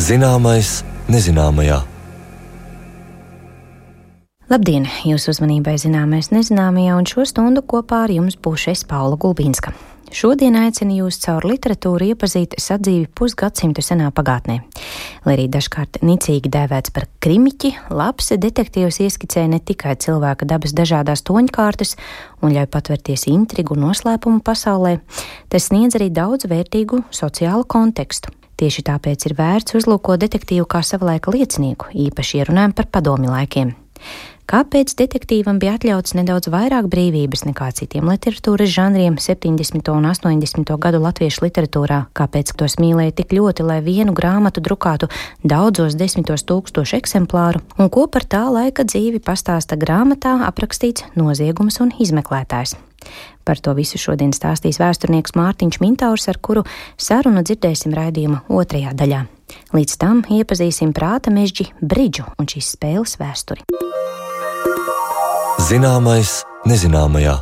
Zināmais nezināmajā. Labdien! Jūsu uzmanībai zināmais nezināmajā, un šo stundu kopā ar jums būšu es, Paula Gulbinska. Šodien aicinu jūs caur literatūru iepazīt sadzīvi pusgadsimtu senā pagātnē. Lai arī dažkārt nicīgi dēvēts par krimiķi, labs detektīvs ieskicē ne tikai cilvēka dabas dažādās toņkārtas un ļauj patverties intrigu un noslēpumu pasaulē, tas sniedz arī daudz vērtīgu sociālu kontekstu. Tieši tāpēc ir vērts uzlūkot detektīvu kā savulaika liecinieku, īpaši ierunājam par padomju laikiem. Kāpēc detektīvam bija atļauts nedaudz vairāk brīvības nekā citiem literatūras žanriem 70. un 80. gadu latviešu literatūrā? Kāpēc tos mīlēja tik ļoti, lai vienu grāmatu drukātu daudzos 10,000 eksemplāru? Un ko par tā laika dzīvi pastāsta grāmatā aprakstīts noziegums un izmeklētājs? Par to visu šodien stāstīs vēsturnieks Mārtiņš Mintaurs, ar kuru sarunu dzirdēsim raidījuma otrajā daļā. Līdz tam iepazīsim prāta mežģi bridžu un šīs spēles vēsturi. Zināmais nezināmajā.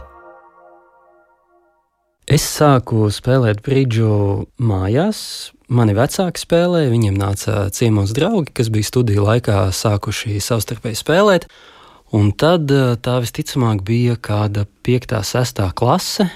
Es sāku spēlēt bridžu mājās. Mani vecāki spēlēja, viņiem nāca ciemos draugi, kas bija studiju laikā sākuši savstarpēji spēlēt. Un tad tā visticamāk bija kāda 5. 6. klase,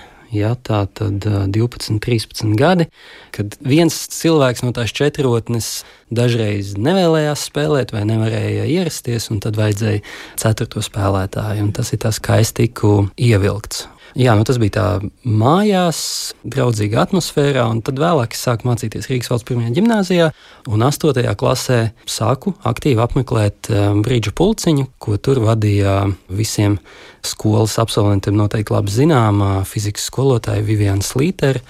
tā tad 12, 13 gadi, kad viens cilvēks no tās četrotnes dažreiz nevēlējās spēlēt vai nevarēja ierasties, un tad vajadzēja 4. spēlētāju, un tas ir tas, kā es tiku ievilkts. Tas bija tā mājās, draudzīga atmosfērā, un tad vēlāk es sāku mācīties Rīgas valsts 1. ģimnāzijā, un 8. klasē sāku aktīvi apmeklēt bridžu pulciņu, ko tur vadīja visiem skolas absolventiem noteikti labi zināmā fizikas skolotāja Viviana Slītera,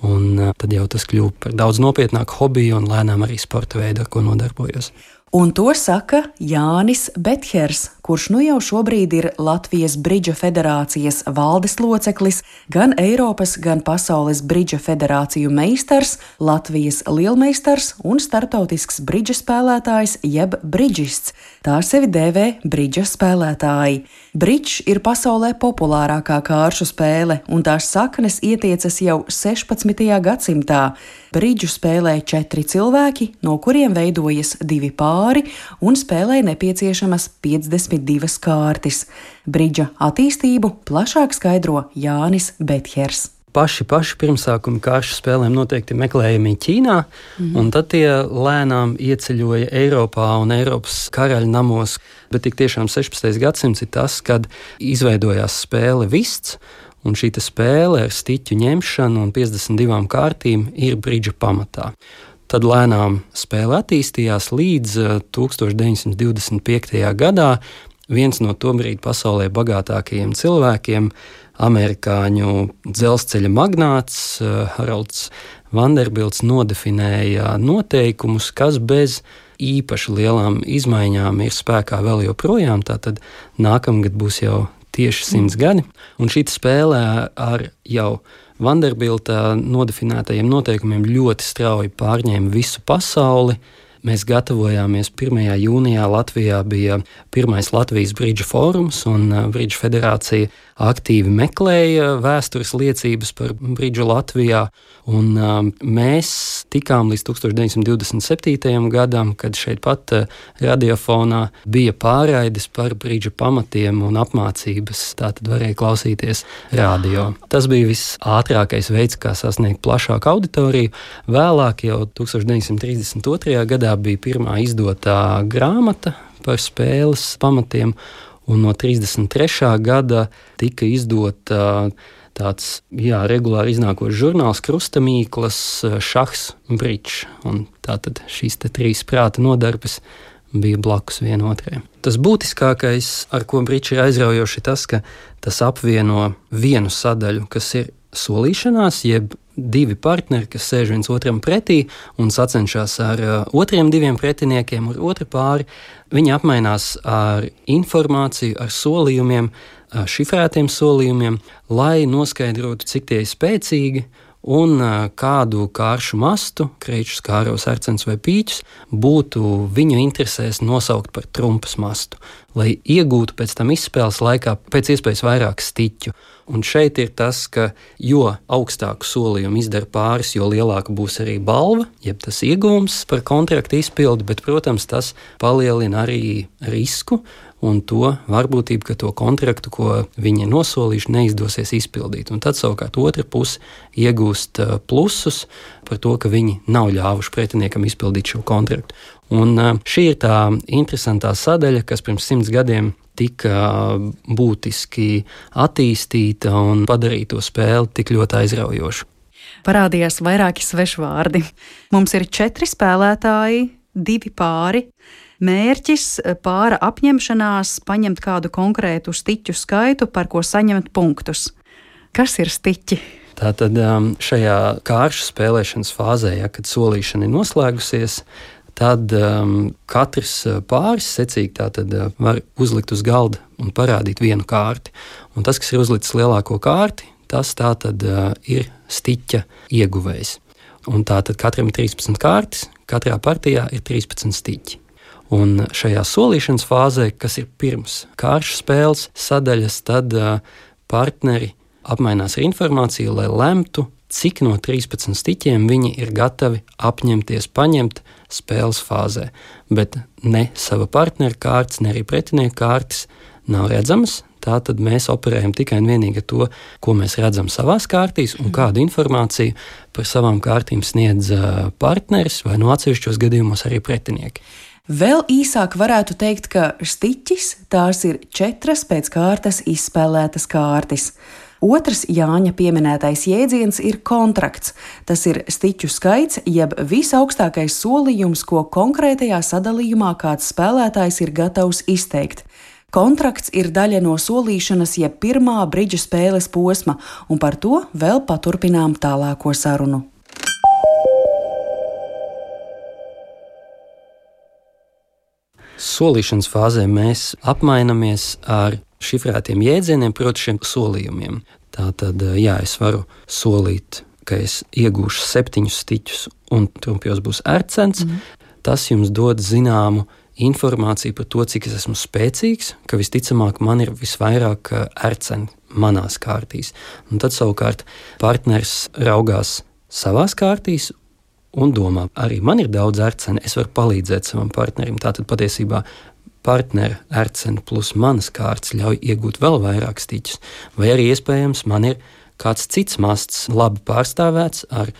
un tad jau tas kļuva par daudz nopietnāku hobiju un lēnām arī sporta veidu, ar ko nodarbojos. Un to saka Jānis Bethers, kurš nu jau šobrīd ir Latvijas Bridža federācijas valdes loceklis, gan Eiropas, gan pasaules Bridža federāciju meistars, Latvijas lielmeistars un starptautisks bridža spēlētājs jeb bridžists. Tā sevi dēvē bridža spēlētāji. Bridžs ir pasaulē populārākā kāršu spēle, un tās saknes ietiecas jau 16. gadsimtā. Bridžu spēlē 4 cilvēki, no kuriem veidojas 2 pāri un spēlē nepieciešamas 52 kārtis. Bridža attīstību plašāk skaidro Jānis Bethers. Paši pirmsākumi kāršu spēlēm noteikti meklējami Ķīnā, un tad tie lēnām ieceļoja Eiropā un Eiropas karaļu namos. Bet tik tiešām 16. gadsimts ir tas, kad izveidojās spēle vists, un šī spēle ar stiķu ņemšanu un 52 kārtīm ir bridža pamatā. Tad lēnām spēle attīstījās līdz 1925. gadā. Viens no tobrīd pasaulē bagātākajiem cilvēkiem, amerikāņu dzelzceļa magnāts Harolds Vanderbilts nodefinēja noteikumus, kas bez īpaši lielām izmaiņām ir spēkā vēl joprojām. Tātad nākamgad būs jau tieši 100 gadi, un šī spēlē ar jau Vanderbilta nodefinētajiem noteikumiem ļoti strauji pārņēma visu pasauli. Mēs gatavojāmies 1. jūnijā Latvijā bija pirmais Latvijas bridža fórums, un Bridža federācija aktīvi meklēja vēstures liecības par bridžu Latvijā, un mēs tikām līdz 1927. gadam, kad šeit pat radiofonā bija pārraides par bridža pamatiem un apmācības, tātad varēja klausīties radio. Tas bija visātrākais veids, kā sasniegt plašāku auditoriju. Vēlāk jau 1932. gadā bija pirmā izdotā grāmata par spēles pamatiem, un no 33. gada tika izdota tāds regulāri iznākošs žurnāls Krustamīklas šahs bridžs, un tātad šīs 3 prāta nodarbes bija blakus vienotrai. Tas būtiskākais, ar ko bridžs ir aizraujoši, ir tas, ka tas apvieno vienu sadaļu, kas ir solīšanās, jeb 2 partneri, kas sēž viens otram pretī un sacenšas ar otriem 2 pretiniekiem, ar otru pāri. Viņi apmainās ar informāciju, ar solījumiem, šifrētiem solījumiem, lai noskaidrotu, cik tie ir spēcīgi un kādu kāršu mastu, kreičus, kāros, arceņus vai pīķus, būtu viņu interesēs nosaukt par trumpas mastu, lai iegūtu pēc tam izspēles laikā pēc iespējas vairāk stiķu. Un šeit ir tas, ka jo augstāku solījumu izdara pāris, jo lielāka būs arī balva, jeb tas iegūms par kontraktu izpildi, bet, protams, tas palielina arī risku un to varbūtību, ka to kontraktu, ko viņi nosolījuši, neizdosies izpildīt. Un tad savukārt otra puse iegūst plusus par to, ka viņi nav ļāvuši pretiniekam izpildīt šo kontraktu. Un šī ir tā interesantā sadaļa, kas pirms 100 gadiem tika būtiski attīstīta un padarīja to spēli tik ļoti aizraujošu. Parādījās vairāki svešvārdi. Mums ir 4 spēlētāji, 2 pāri. Mērķis pāra apņemšanās paņemt kādu konkrētu stiķu skaitu, par ko saņemt punktus. Kas ir stiķi? Tātad šajā kāršu spēlēšanas fāzē, kad solīšana ir noslēgusies, tad katrs pāris secīgi var uzlikt uz galda un parādīt vienu kārti. Un tas, kas ir uzlicis lielāko kārti, tas tātad ir stiķa ieguvējs. Un tātad katram ir 13 kārtas, katrā partijā ir 13 stiķi. Un šajā solīšanas fāzē, kas ir pirms kāršu spēles sadaļas, tad partneri apmainās ar informāciju, lai lemtu, cik no 13 stiķiem viņi ir gatavi apņemties paņemt spēles fāzē. Bet ne sava partnera kārtas, ne arī pretinieku kārtas nav redzamas. Tātad mēs operējam tikai un vienīgi ar to, ko mēs redzam savās kārtīs, un kādu informāciju par savām kārtīm sniedz partneris vai no atsevišķos gadījumos arī pretinieki. Vēl īsāk varētu teikt, ka stiķis tās ir 4 pēc kārtas izspēlētas kārtas. Otrs Jāņa pieminētais jēdziens ir kontrakts. Tas ir stiķu skaits, jeb visaugstākais solījums, ko konkrētajā sadalījumā kāds spēlētājs ir gatavs izteikt. Kontrakts ir daļa no solīšanas, jeb pirmā bridža spēles posma, un par to vēl paturpinām tālāko sarunu. Solīšanas fāzē mēs apmainamies ar šifrētiem jēdzieniem, proti šiem solījumiem. Tātad, es varu solīt, ka es iegūšu 7 stiķus un trumpjos būs arcens. Tas jums dod zināmu informāciju par to, cik es esmu spēcīgs, ka visticamāk man ir visvairāk arceni manās kārtīs. Un tad savukārt partners raugās savās kārtīs un domā, arī man ir daudz arceni, es varu palīdzēt savam partnerim. Tātad patiesībā partnera arceni plus manas kārtas ļauj iegūt vēl vairāk stiķus. Vai arī iespējams man ir kāds cits masts labi pārstāvēts ar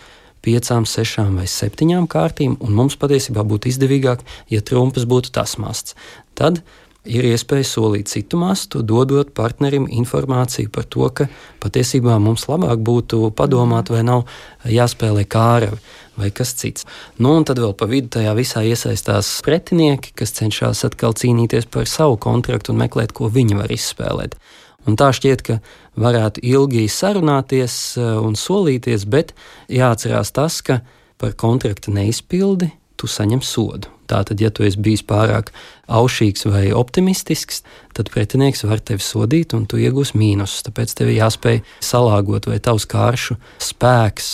5, 6 vai 7 kārtīm, un mums patiesībā būtu izdevīgāk, ja trumpas būtu tas masts. Tad ir iespēja solīt citu mastu, dodot partnerim informāciju par to, ka patiesībā mums labāk būtu padomāt, vai nav jāspēlē kāravi vai kas cits. Un tad vēl pa vidu tajā visā iesaistās pretinieki, kas cenšas atkal cīnīties par savu kontraktu un meklēt, ko viņi var izspēlēt. Un tā šķiet, ka varētu ilgi sarunāties un solīties, bet jāatcerās tas, ka par kontrakta neizpildi tu saņem sodu. Tātad, ja tu esi bijis pārāk aušīgs vai optimistisks, tad pretinieks var tevi sodīt un tu iegūsi mīnusus. Tāpēc tev ir jāspēj salāgot vai tavs kāršu spēks,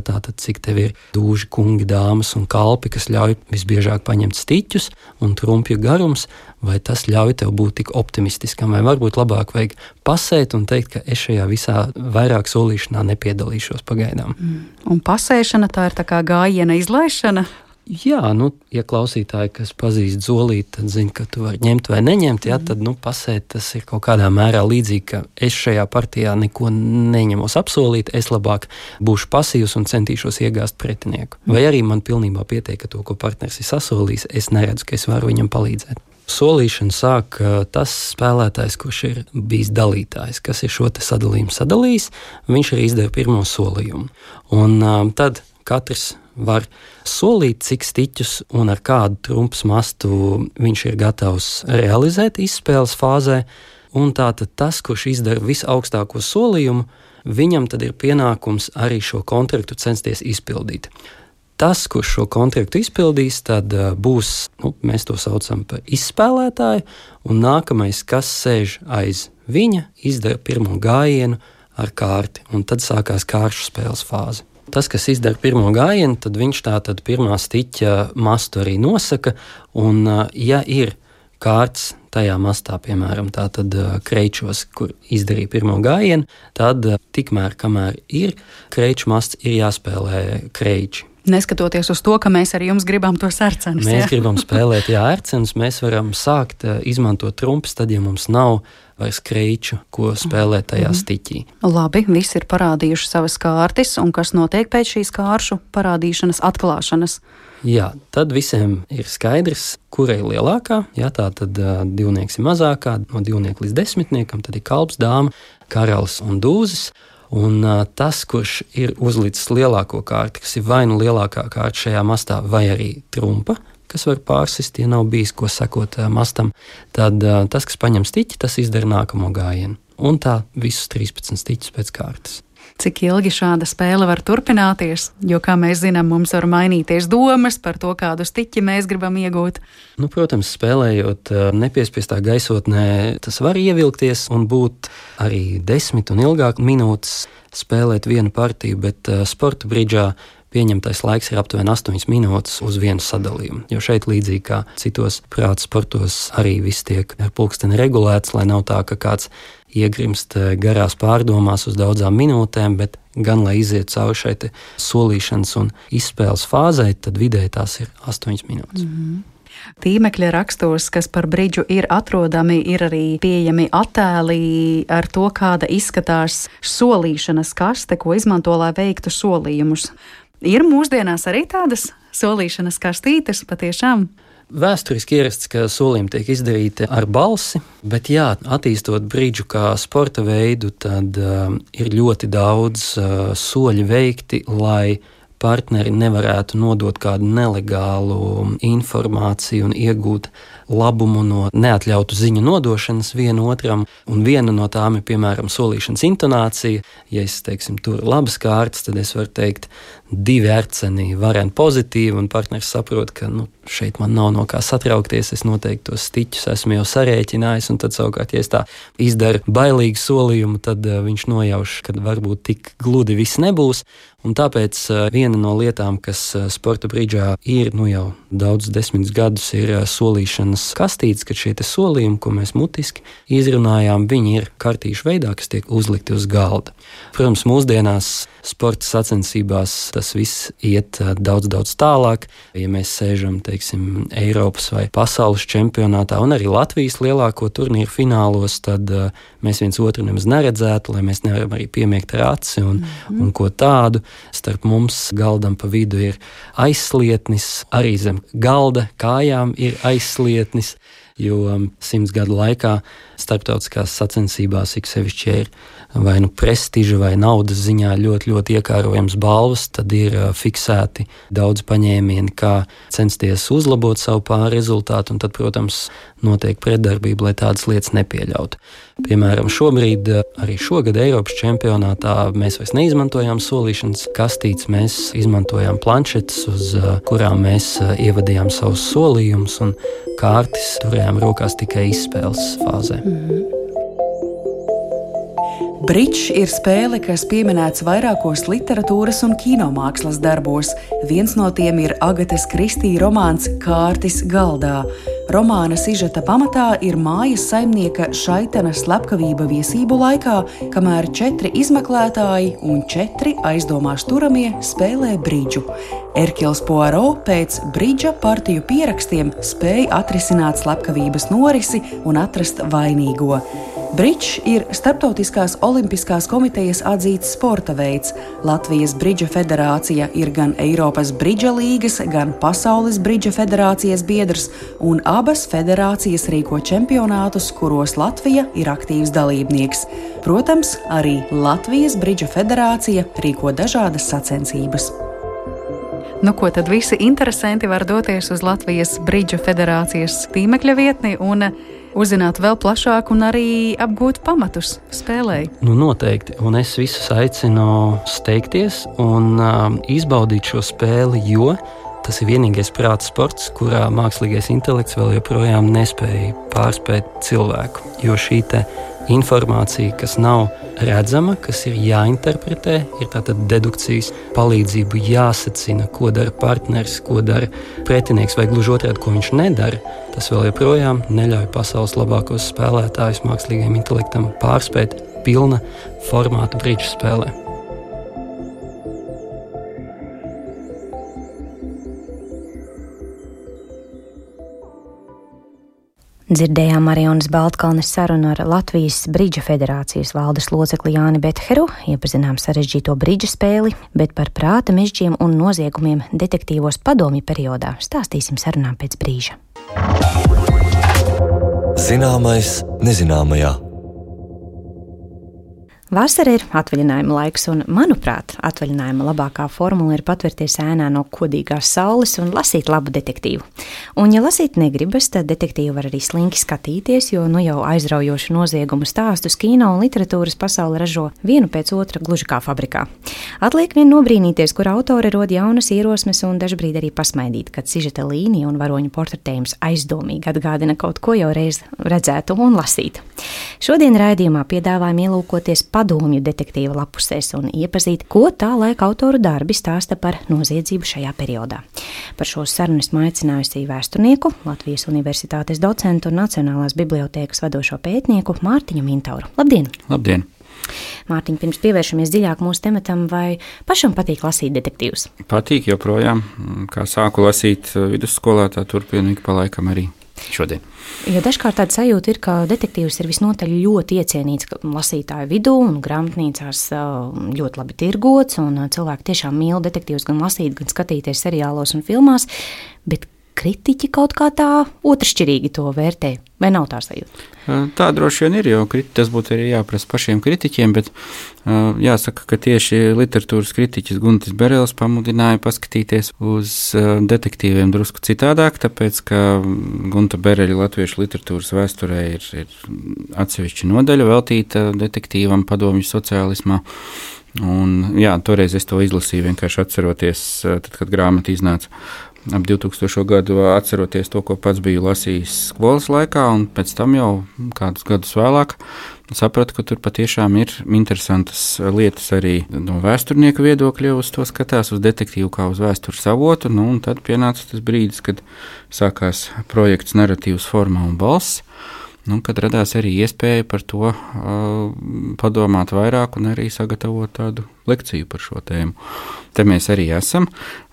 tātad cik tev ir dūži, kungi, dāmas un kalpi, kas ļauj visbiežāk paņemt stiķus un trumpju garums, vai tas ļauj tev būt tik optimistiskam, vai varbūt labāk vajag pasēt un teikt, ka es šajā visā vairāk solīšanā nepiedalīšos pagaidām. Un pasēšana tā ir tā kā gājiena izlaišana? Jā, ja klausītāji, kas pazīst zolīti, tad zina, ka tu vari ņemt vai neņemt, tad pasēt tas ir kaut kādā mērā līdzīgi, ka es šajā partijā neko neņemos apsolīt, es labāk būšu pasīvs un centīšos iegāzt pretinieku. Vai arī man pilnībā pietiek, ka to, ko partners ir sasolījis, es neredzu, ka es varu viņam palīdzēt. Solīšanu sāk tas spēlētājs, kurš ir bijis dalītājs, kas ir šo te sadalījumu sadalījis, viņš arī izdara pirmo solījumu. Un tad katrs var solīt, cik stiķus un ar kādu trumpas mastu viņš ir gatavs realizēt izspēles fāzē, un tātad tas, kurš izdara visaugstāko solījumu, viņam tad ir pienākums arī šo kontraktu censties izpildīt. Tas, kurš šo kontraktu izpildīs, tad būs, mēs to saucam par izspēlētāju, un nākamais, kas sēž aiz viņa, izdara pirmo gājienu ar kārti, un tad sākās kāršu spēles fāze. Tas, kas izdara pirmo gājienu, tad viņš tātad pirmā stiķa mastu arī nosaka, un ja ir kārts tajā mastā, piemēram, tātad kreičos, kur izdarīja pirmo gājienu, tad tikmēr, kamēr ir kreiču masts, ir jāspēlē kreiči. Neskatoties uz to, ka mēs ar jums gribam tos ērcenus. Mēs gribam spēlēt ērcenus, mēs varam sākt izmantot trumpes, tad, ja mums nav vairs kreiču, ko spēlēt tajā stiķī. Labi, visi ir parādījuši savas kārtis, un kas notiek pēc šīs kāršu parādīšanas, atklāšanas? Jā, tad visiem ir skaidrs, kura ir lielākā. Jā, tā tad divnieks ir mazākā, no 2 līdz 10, tad ir kalps, dāma, karalis un dūzis. Un tas, kurš ir uzlicis lielāko kārti, kas ir vai nu lielākā kārta šajā mastā, vai arī trumpa, kas var pārsist, ja nav bijis ko sekot mastam, tad tas, kas paņem stiķi, tas izdara nākamo gājienu. Un tā visus 13 stiķus pēc kārtas. Cik ilgi šāda spēle var turpināties? Jo, kā mēs zinām, mums var mainīties domas par to, kādu stiķi mēs gribam iegūt. Nu, protams, spēlējot nepiespiestā gaisotnē, tas var ievilkties un būt arī 10 un ilgāk minūtes spēlēt vienu partiju, bet sporta bridžā pieņemtais laiks ir aptuveni 8 minūtes uz vienu sadalījumu. Jo šeit, līdzīgi kā citos prāta sportos, arī viss tiek ar pulksteni regulēts, lai nav tā, ka kāds iegrimst garās pārdomās uz daudzām minūtēm, bet gan, lai iziet cauri šai solīšanas un izspēles fāzei, tad vidēji tās ir 8 minūtes. Tīmekļa rakstos, kas par bridžu ir atrodami, ir arī pieejami attēli ar to, kāda izskatās solīšanas kaste, ko izmanto, lai veiktu solījumus. Ir mūsdienās arī tādas solīšanas kastītes patiešām? Vēsturiski ierasts, ka solījumi tiek izdarīti ar balsi, bet jā, attīstot bridžu kā sporta veidu, tad ir ļoti daudz soļu veikti, lai partneri nevarētu nodot kādu nelegālu informāciju un iegūt labumu no neatļautu ziņu nodošanas vienu otram, un viena no tām ir, piemēram, solīšanas intonācija. Ja es, teiksim, tur labas kārtas, tad es varu teikt 2 ērceni vareni pozitīvi, un partneris saprot, ka šeit man nav no kā satraukties, es noteikti tos stiķus esmu jau sarēķinājis, un tad savukārt, ja es tā izdaru bailīgu solījumu, tad viņš nojauš, ka varbūt tik gludi viss nebūs, un tāpēc viena no lietām, kas sporta bridžā ir jau daudz 10 gadus, ir solīšanas kastītes, kad šie solījumi, ko mēs mutiski izrunājām, viņi ir kartīšu veidā, kas tiek uzlikti uz galda. Protams, mūsdienās sporta sacensībās tas viss iet daudz tālāk. Ja mēs sēžam, teiksim, Eiropas vai pasaules čempionātā un arī Latvijas lielāko turnīru finālos, tad mēs viens otru nemaz neredzētu, lai mēs nevaram arī piemiegt ar aci un ko tādu. Starp mums galdam pa vidu ir aizslietnis, arī zem galda kājām ir aizslietnis, jo 100 gadu laikā starptautiskās sacensībās ik sevišķi ir vai prestiža vai naudas ziņā ļoti iekārojams balvas, tad ir fiksēti daudz paņēmieni, kā censties uzlabot savu pāri rezultātu, un tad, protams, notiek pretdarbība, lai tādas lietas nepieļautu. Piemēram, šobrīd, arī šogad Eiropas čempionātā mēs vairs neizmantojām solīšanas kastītes, mēs izmantojām planšetes, uz kurām mēs ievadījām savus solījumus, un kārtis turējām rokās tikai izspēles fāzē. Bridžs ir spēle, kas pieminēts vairākos literatūras un kinomākslas darbos. Viens no tiem ir Agatas Kristī romāns Kārtis galdā. Romāna sižeta pamatā ir mājas saimnieka Šaitena slepkavība viesību laikā, kamēr 4 izmeklētāji un 4 aizdomās turamie spēlē bridžu. Erkils Poirot pēc bridža partiju pierakstiem spēja atrisināt slepkavības norisi un atrast vainīgo. Bridžs ir Starptautiskās olimpiskās komitejas atzīts sporta veids. Latvijas bridža federācija ir gan Eiropas bridža līgas, gan Pasaules bridža federācijas biedrs, un abas federācijas rīko čempionātus, kuros Latvija ir aktīvs dalībnieks. Protams, arī Latvijas bridža federācija rīko dažādas sacensības. Ko tad visi interesanti var doties uz Latvijas bridža federācijas tīmekļa vietni un uzzināt vēl plašāk un arī apgūt pamatus spēlei? Noteikti, un es visus aicinu steigties un izbaudīt šo spēli, jo tas ir vienīgais prāta sports, kurā mākslīgais intelekts vēl joprojām nespēja pārspēt cilvēku, jo šī informācija, kas nav redzama, kas ir jāinterpretē, ir tātad dedukcijas palīdzību jāsacina, ko dara partneris, ko dara pretinieks, vai gluži otrādi, ko viņš nedara. Tas vēl joprojām neļauj pasaules labākos spēlētājus mākslīgajam intelektam pārspēt pilna formāta bridžu spēlē. Dzirdējām Marijonas Baltkalnes sarunu ar Latvijas Bridža federācijas valdes locekli Jāni Betheru, iepazinām sarežģīto bridža spēli, bet par prāta mežģiem un noziegumiem detektīvos padomju periodā stāstīsim sarunā pēc brīža. Zināmais nezināmajā. Vasara ir atvaļinājuma laiks, un, manuprāt, atvaļinājuma labākā formula ir patvērties ēnā no kodīgās saules un lasīt labu detektīvu. Un, ja lasīt negribas, tad detektīvu var arī slinki skatīties, jo nu jau aizraujošu noziegumu stāstus kino un literatūras pasaule ražo vienu pēc otra gluži kā fabrikā. Atliek vien nobrīnīties, kur autori rod jaunas ierosmes un dažbrīd arī pasmaidīt, kad sižeta līnija un varoņu portretējums aizdomīgi atgādina kaut ko jau reiz redzētu un lasītu. Šodien raidījumā piedāvājam ielūkoties padomju detektīva lapusēs un iepazīt, ko tā laika autoru darbi stāsta par noziedzību šajā periodā. Par šo sarunu esmu aicinājusi vēsturnieku, Latvijas Universitātes docentu un Nacionālās bibliotēkas vadošo pētnieku Mārtiņu Mintauru. Labdien! Labdien! Mārtiņ, pirms pievēršamies dziļāk mūsu tematam, vai pašam patīk lasīt detektīvus? Patīk joprojām. Kā sāku lasīt vidusskolā, tā turpinu ik pa laikam arī šodien. Jo dažkārt tāda sajūta ir, ka detektīvs ir visnotaļ ļoti iecienīts lasītāju vidū un grāmatnīcās ļoti labi tirgots, un cilvēki tiešām mīl detektīvus gan lasīt, gan skatīties seriālos un filmās, bet kritiķi kaut kā tā otršķirīgi to vērtē, vai nav tā sajūta? Tā droši vien ir, jo tas būtu arī jāprasa pašiem kritiķiem, bet jāsaka, ka tieši literatūras kritiķis Guntis Berelis pamudināja paskatīties uz detektīviem drusku citādāk, tāpēc, ka Gunta Bereļa latviešu literatūras vēsturē ir atsevišķa nodaļa veltīta detektīvam padomju sociālismā. Un, jā, toreiz es to izlasīju, vienkārši atceroties, tad, kad grāmata iznāca ap 2000. Gadu, atceroties to, ko pats biju lasījis skolas laikā, un pēc tam jau kādus gadus vēlāk sapratu, ka tur patiešām ir interesantas lietas arī no vēsturnieka viedokļa, uz to skatās, uz detektīvu kā uz vēstures avotu, un tad pienāca tas brīdis, kad sākās projekts Narratīvs formā un balss, kad radās arī iespēja par to padomāt vairāk un arī sagatavot tādu lekciju par šo tēmu. Te mēs arī esam,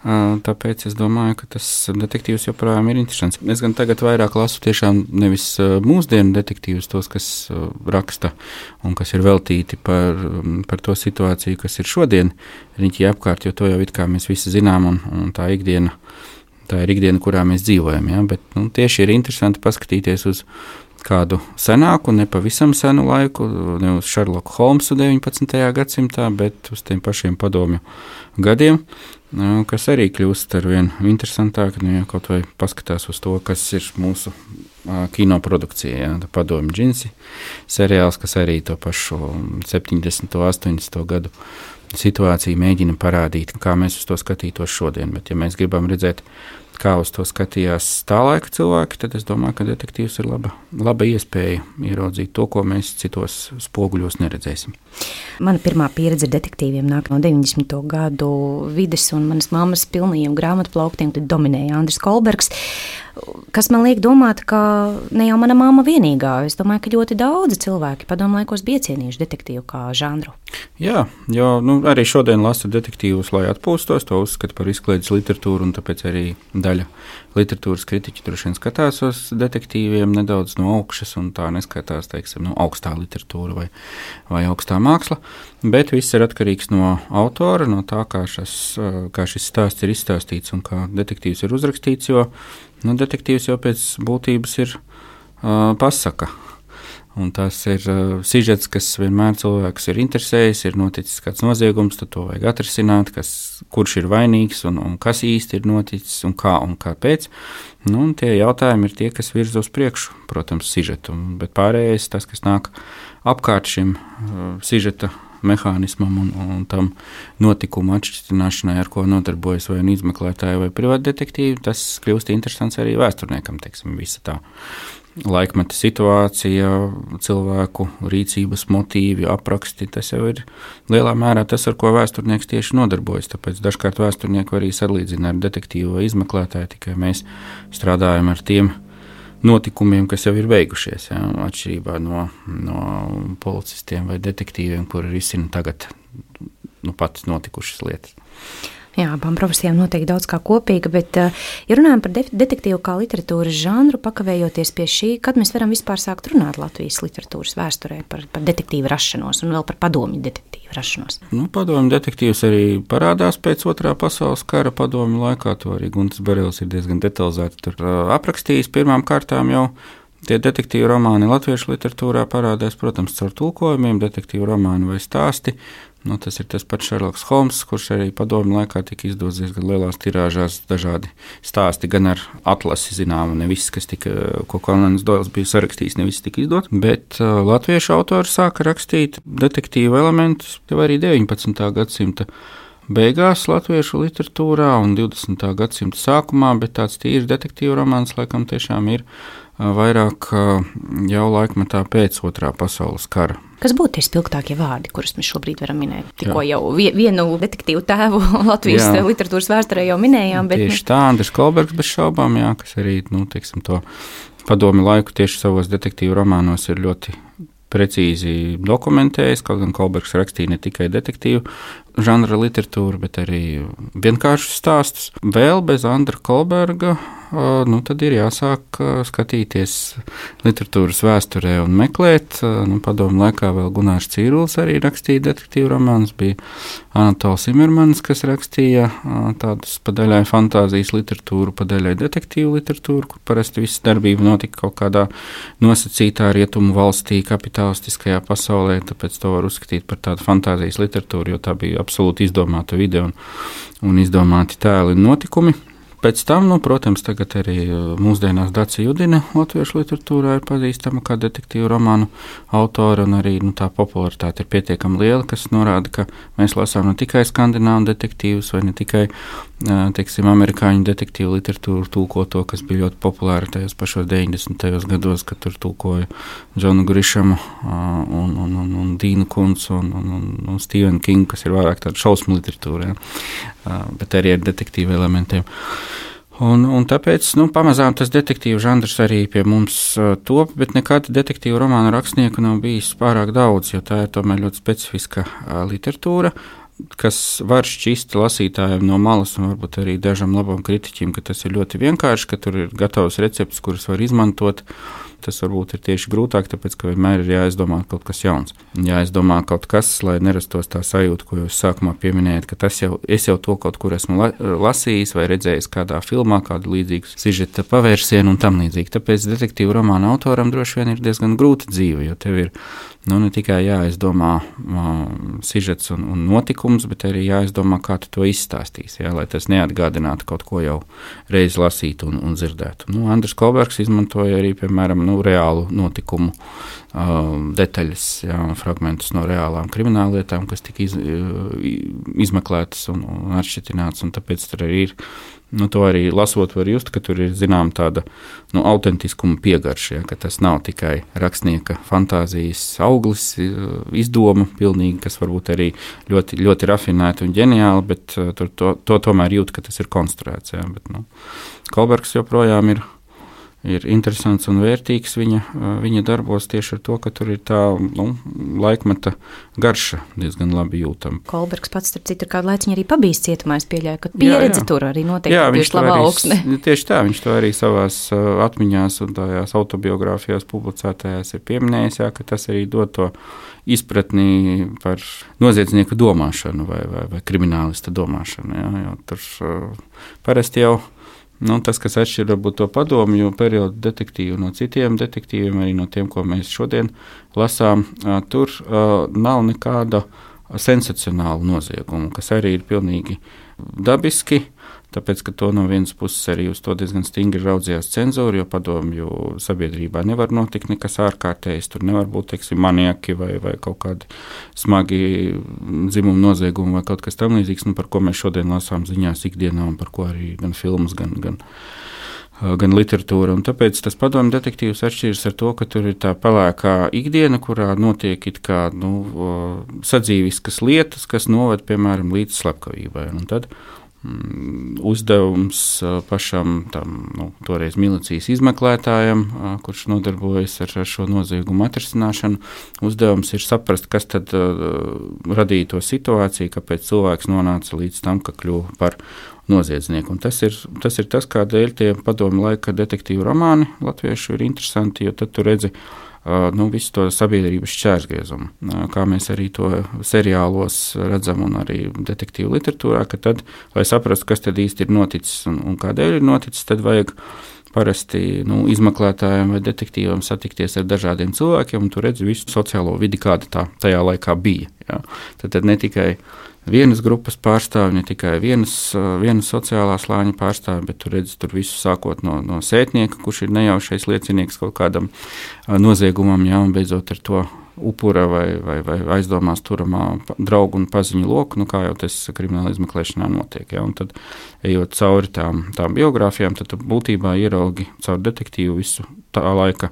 tāpēc es domāju, ka tas detektīvs joprojām ir interesants. Es gan tagad vairāk lasu tiešām nevis mūsdienu detektīvus, tos, kas raksta un kas ir veltīti par to situāciju, kas ir šodien riņķī apkārt, jo to jau it kā mēs visi zinām, un tā ir ikdiena, kurā mēs dzīvojam. Ja? Bet tieši ir interesanti paskatīties uz kādu senāku, nepavisam senu laiku, ne uz Šerloku Holmsu 19. gadsimtā, bet uz tiem pašiem padomju gadiem, kas arī kļūst arvien interesantāk, ja kaut vai paskatās uz to, kas ir mūsu kinoprodukcija, ja, padomju džinsi seriāls, kas arī to pašu 70. 80. gadu situāciju mēģina parādīt, kā mēs uz to skatītos šodien, bet ja mēs gribam redzēt, kā uz to skatījās tā laika cilvēki, tad es domāju, ka detektīvs ir laba iespēja ieraudzīt to, ko mēs citos spoguļos neredzēsim. Mana pirmā pieredze ar detektīviem nāk no 90. gadu vides, un manas mammas pilnajiem grāmatu plauktiem tad dominēja Andris Kolbergs, kas man liek domāt, ka ne jau mana mamma vienīgā. Es domāju, ka ļoti daudzi cilvēki padomu laikos bija cienījuši detektīvu kā žanru. Jā, jo arī šodien lasu detektīvus, lai atpūstos, to uzskatu par izklaides literatūru, un tāpēc arī daļa literatūras kritiķi droši vien skatās uz detektīviem nedaudz no augšas, un tā neskatās, teiksim, augstā literatūra vai augstā māksla, bet viss ir atkarīgs no autora, no tā, kā šis stāsts ir izstāstīts un kā detektīvs ir uzrakstīts, jo detektīvs jau pēc būtības ir pasaka. Un tas ir sižets, kas vienmēr cilvēks ir interesējis, ir noticis kāds noziegums, tad to vajag atrisināt, kurš ir vainīgs un kas īsti ir noticis un kā un kāpēc. Un tie jautājumi ir tie, kas virza uz priekšu, protams, sižetu, bet pārējais tas, kas nāk apkārt šim sižeta mehānismam un tam notikumu atšķirināšanai, ar ko nodarbojas vai izmeklētāji vai privātdetektīvi, tas kļūst interesants arī vēsturniekam, teiksim, visa tā laikmeta situācija, cilvēku rīcības motīvi, apraksti, tas jau ir lielā mērā tas, ar ko vēsturnieks tieši nodarbojas. Tāpēc dažkārt vēsturnieku arī salīdzina ar detektīvu vai izmeklētāju, tikai mēs strādājam ar tiem notikumiem, kas jau ir beigušies, ja, atšķirībā no policistiem vai detektīviem, kuri risina tagad pat notikušas lietas. Jā, abām profesijām noteikti daudz kā kopīga, bet, ja runājam par detektīvu kā literatūras žanru, pakavējoties pie šī, kad mēs varam vispār sākt runāt Latvijas literatūras vēsturē par detektīvu rašanos un vēl par padomju detektīvu rašanos? Padomju detektīvs arī parādās pēc Otrā pasaules kara padomju laikā, to arī Guntis Berelis ir diezgan detalizēti tur aprakstījis. Pirmām kārtām jau tie detektīvu romāni latviešu literatūrā parādās, protams, caur tulkojumiem, detektīvu romāni vai stāsti. Tas ir tas pats Šerloks Holms, kurš arī padomju laikā tika izdots diezgan lielās tirāžās, dažādi stāsti, gan ar atlasi zināmu, ne viss, ko Konans Doils bija sarakstījis, ne viss tika izdots, bet latviešu autori sāka rakstīt detektīvu elementus jau arī 19. gadsimta beigās latviešu literatūrā un 20. gadsimta sākumā, bet tāds tīrs detektīvu romāns laikam tiešām ir vairāk jau laikmetā pēc Otrā pasaules kara. Kas būtu tie spilgtākie vārdi, kurus mēs šobrīd varam minēt? Tikko jau vienu detektīvu tēvu Latvijas literatūras vēsturē jau minējām. Bet tieši tā, Andris Kolbergs bez šaubām, kas arī, teiksim, to padomju laiku tieši savos detektīvu romānos ir ļoti precīzi dokumentējis, kaut gan Kolbergs rakstīja ne tikai detektīvu žanra literatūru, bet arī vienkāršus stāstus. Vēl bez Andra Kolberga tad ir jāsāk skatīties literatūras vēsturē un meklēt. Padomju laikā vēl Gunārs Cīrulis arī rakstīja detektīvu romānus, bija Anatols Imermans, kas rakstīja tādus pa daļai fantāzijas literatūru, pa daļai detektīvu literatūru, kur parasti visa darbība notika kaut kādā nosacītā rietumu valstī, kapitalistiskajā pasaulē, tāpēc to var uzskatīt par tādu fantāzijas literatūru, jo tā bija absolūti izdomāta vide un izdomāti tēli un notikumi. Pēc tam, protams, tagad arī mūsdienās Dace Judina latviešu literatūrā ir pazīstama kā detektīvu romānu autora, un arī tā popularitāte ir pietiekami liela, kas norāda, ka mēs lasām ne tikai skandināvu detektīvus vai ne tikai, teiksim, amerikāņu detektīvu literatūru tulkoto, kas bija ļoti populāra tajos pašos 90. gados, kad tur tulkoja Džonu Grišamu un Dīnu Kuncu un Stevenu Kingu, kas ir vairāk tāda šausmu literatūra, bet arī ar detektīvu elementiem. Un tāpēc pamazām tas detektīvu žanrs arī pie mums top, bet nekad detektīvu romānu rakstnieku nav bijis pārāk daudz, jo tā ir tomēr ļoti specifiska literatūra, kas var šķist lasītājiem no malas un varbūt arī dažam labam kritiķim, ka tas ir ļoti vienkārši, ka tur ir gatavs recepts, kurus var izmantot. Tas varbūt ir tieši grūtāk, tāpēc, ka vienmēr ir jāizdomā kaut kas jauns. Jāizdomā kaut kas, lai nerastos tā sajūta, ko jūs sākumā pieminējat, ka es jau to kaut kur esmu lasījis vai redzējis kādā filmā, kādu līdzīgu sižeta pavērsienu un tam līdzīgi. Tāpēc detektīvu romānu autoram droši vien ir diezgan grūta dzīve, jo tev ir ne tikai jāizdomā sižets un notikums, bet arī jāizdomā, kā tu to izstāstīsi, lai tas neatgādinātu kaut ko jau reiz lasītu un dzirdētu. Andris Kolbergs izmantoja arī, piemēram, reālu notikumu detaļas, fragmentus no reālām krimināllietām, kas tika izmeklētas un atšķirtināts, un tāpēc tur arī ir, to arī lasot var just, ka tur ir zinām tāda autentiskuma piegarša, ka tas nav tikai rakstnieka fantāzijas auglis, izdoma pilnīgi, kas varbūt arī ļoti, ļoti rafinēta un ģeniāla, bet to tomēr jūt, ka tas ir konstruēts. Bet, Kolbergs joprojām ir interesants un vērtīgs viņa darbos tieši ar to, ka tur ir tā laikmeta garša diezgan labi jūtama. Kolbergs pats, starp citu, kādu laiciņu arī pabijis cietumā, es pieļauju, ka pieredze tur arī noteikti bijuši labā augsne. Tieši tā, viņš to arī savās atmiņās un tajās autobiogrāfijās publicētajās ir pieminējis, ka tas arī dod to izpratni par noziedznieku domāšanu vai kriminālista domāšanu. Jo tur parasti jau tas, kas atšķir varbūt to padomju periodu detektīvu no citiem detektīviem, arī no tiem, ko mēs šodien lasām, tur nav nekāda sensacionāla nozieguma, kas arī ir pilnīgi dabiski. tāpēc, ka to no vienas puses arī uz to diezgan stingri raudzījās cenzūra, jo padomju sabiedrībā nevar notikt nekas ārkārtējs, tur nevar būt, teiksim, maniaki vai kaut kādi smagi dzimumu noziegumi vai kaut kas tam līdzīgs, par ko mēs šodien lasām ziņās ikdienā un par ko arī gan filmas, gan literatūra. Un tāpēc tas padomju detektīvs atšķiras ar to, ka tur ir tā pelēkā ikdiena, kurā notiek it kā sadzīviskas lietas, kas noved, piemēram, līdz slepkavībai. Un tad uzdevums pašam tam, toreiz milicijas izmeklētājam, kurš nodarbojas ar šo noziegumu atrisināšanu, uzdevums ir saprast, kas tad radīja to situāciju, kāpēc cilvēks nonāca līdz tam, ka kļuva par noziedznieku. Un tas ir tas, kādēļ tie padomju laika detektīvu romāni latviešu ir interesanti, jo tad tu redzi visu to sabiedrības šķērsgriezumu, kā mēs arī to seriālos redzam un arī detektīvu literatūrā, ka tad, lai saprastu, kas tad īsti ir noticis un kādēļ ir noticis, tad vajag parasti izmeklētājiem vai detektīvam satikties ar dažādiem cilvēkiem, un tu redzi visu sociālo vidi, kāda tajā laikā bija. Ja? Tad ne tikai vienas grupas pārstāvi, ne tikai vienas sociālā slāņa pārstāvi, bet tu redzi tur visu sākot no sētnieka, kurš ir nejaušais liecinieks kaut kādam noziegumam, ja, un beidzot ar to upura vai aizdomās turamā draugu un paziņu loku, kā jau tas krimināla izmeklēšanā notiek. Ja, un tad, ejot cauri tām biogrāfijām, tad būtībā ieraugi caur detektīvu visu tā laika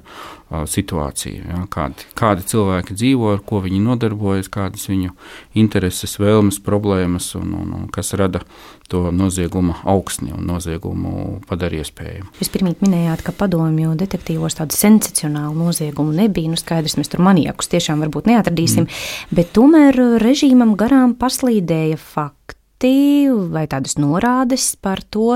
situāciju. Ja, kādi cilvēki dzīvo, ar ko viņi nodarbojas, kādas viņu intereses, vēlmes, problēmas un kas rada to nozieguma augsni un noziegumu padara iespējamu. Jūs pirmīt minējāt, ka padomju detektīvos tādu sensacionālu noziegumu nebija. Skaidrs, mēs tur maniakus tiešām varbūt neatradīsim, bet tomēr režīmam garām paslīdēja fakti vai tādas norādes par to,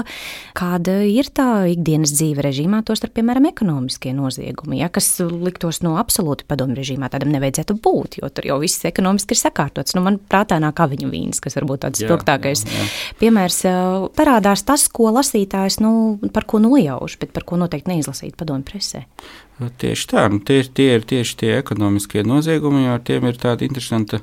kāda ir tā ikdienas dzīve režīmā, tostarp, piemēram, ekonomiskie noziegumi, ja, kas liktos absolūti padomju režīmā tādam nevajadzētu būt, jo tur jau viss ekonomiski ir sakārtots. Man prātā nāk Aviņu vīns, kas varbūt tāds spilgtākais piemērs. Parādās tas, ko lasītājs, par ko nojauš, bet par ko noteikti neizlasīt padomju presē. Tieši tā, tie ir tieši tie ekonomiskie noziegumi, jo ar tiem ir tāda interesanta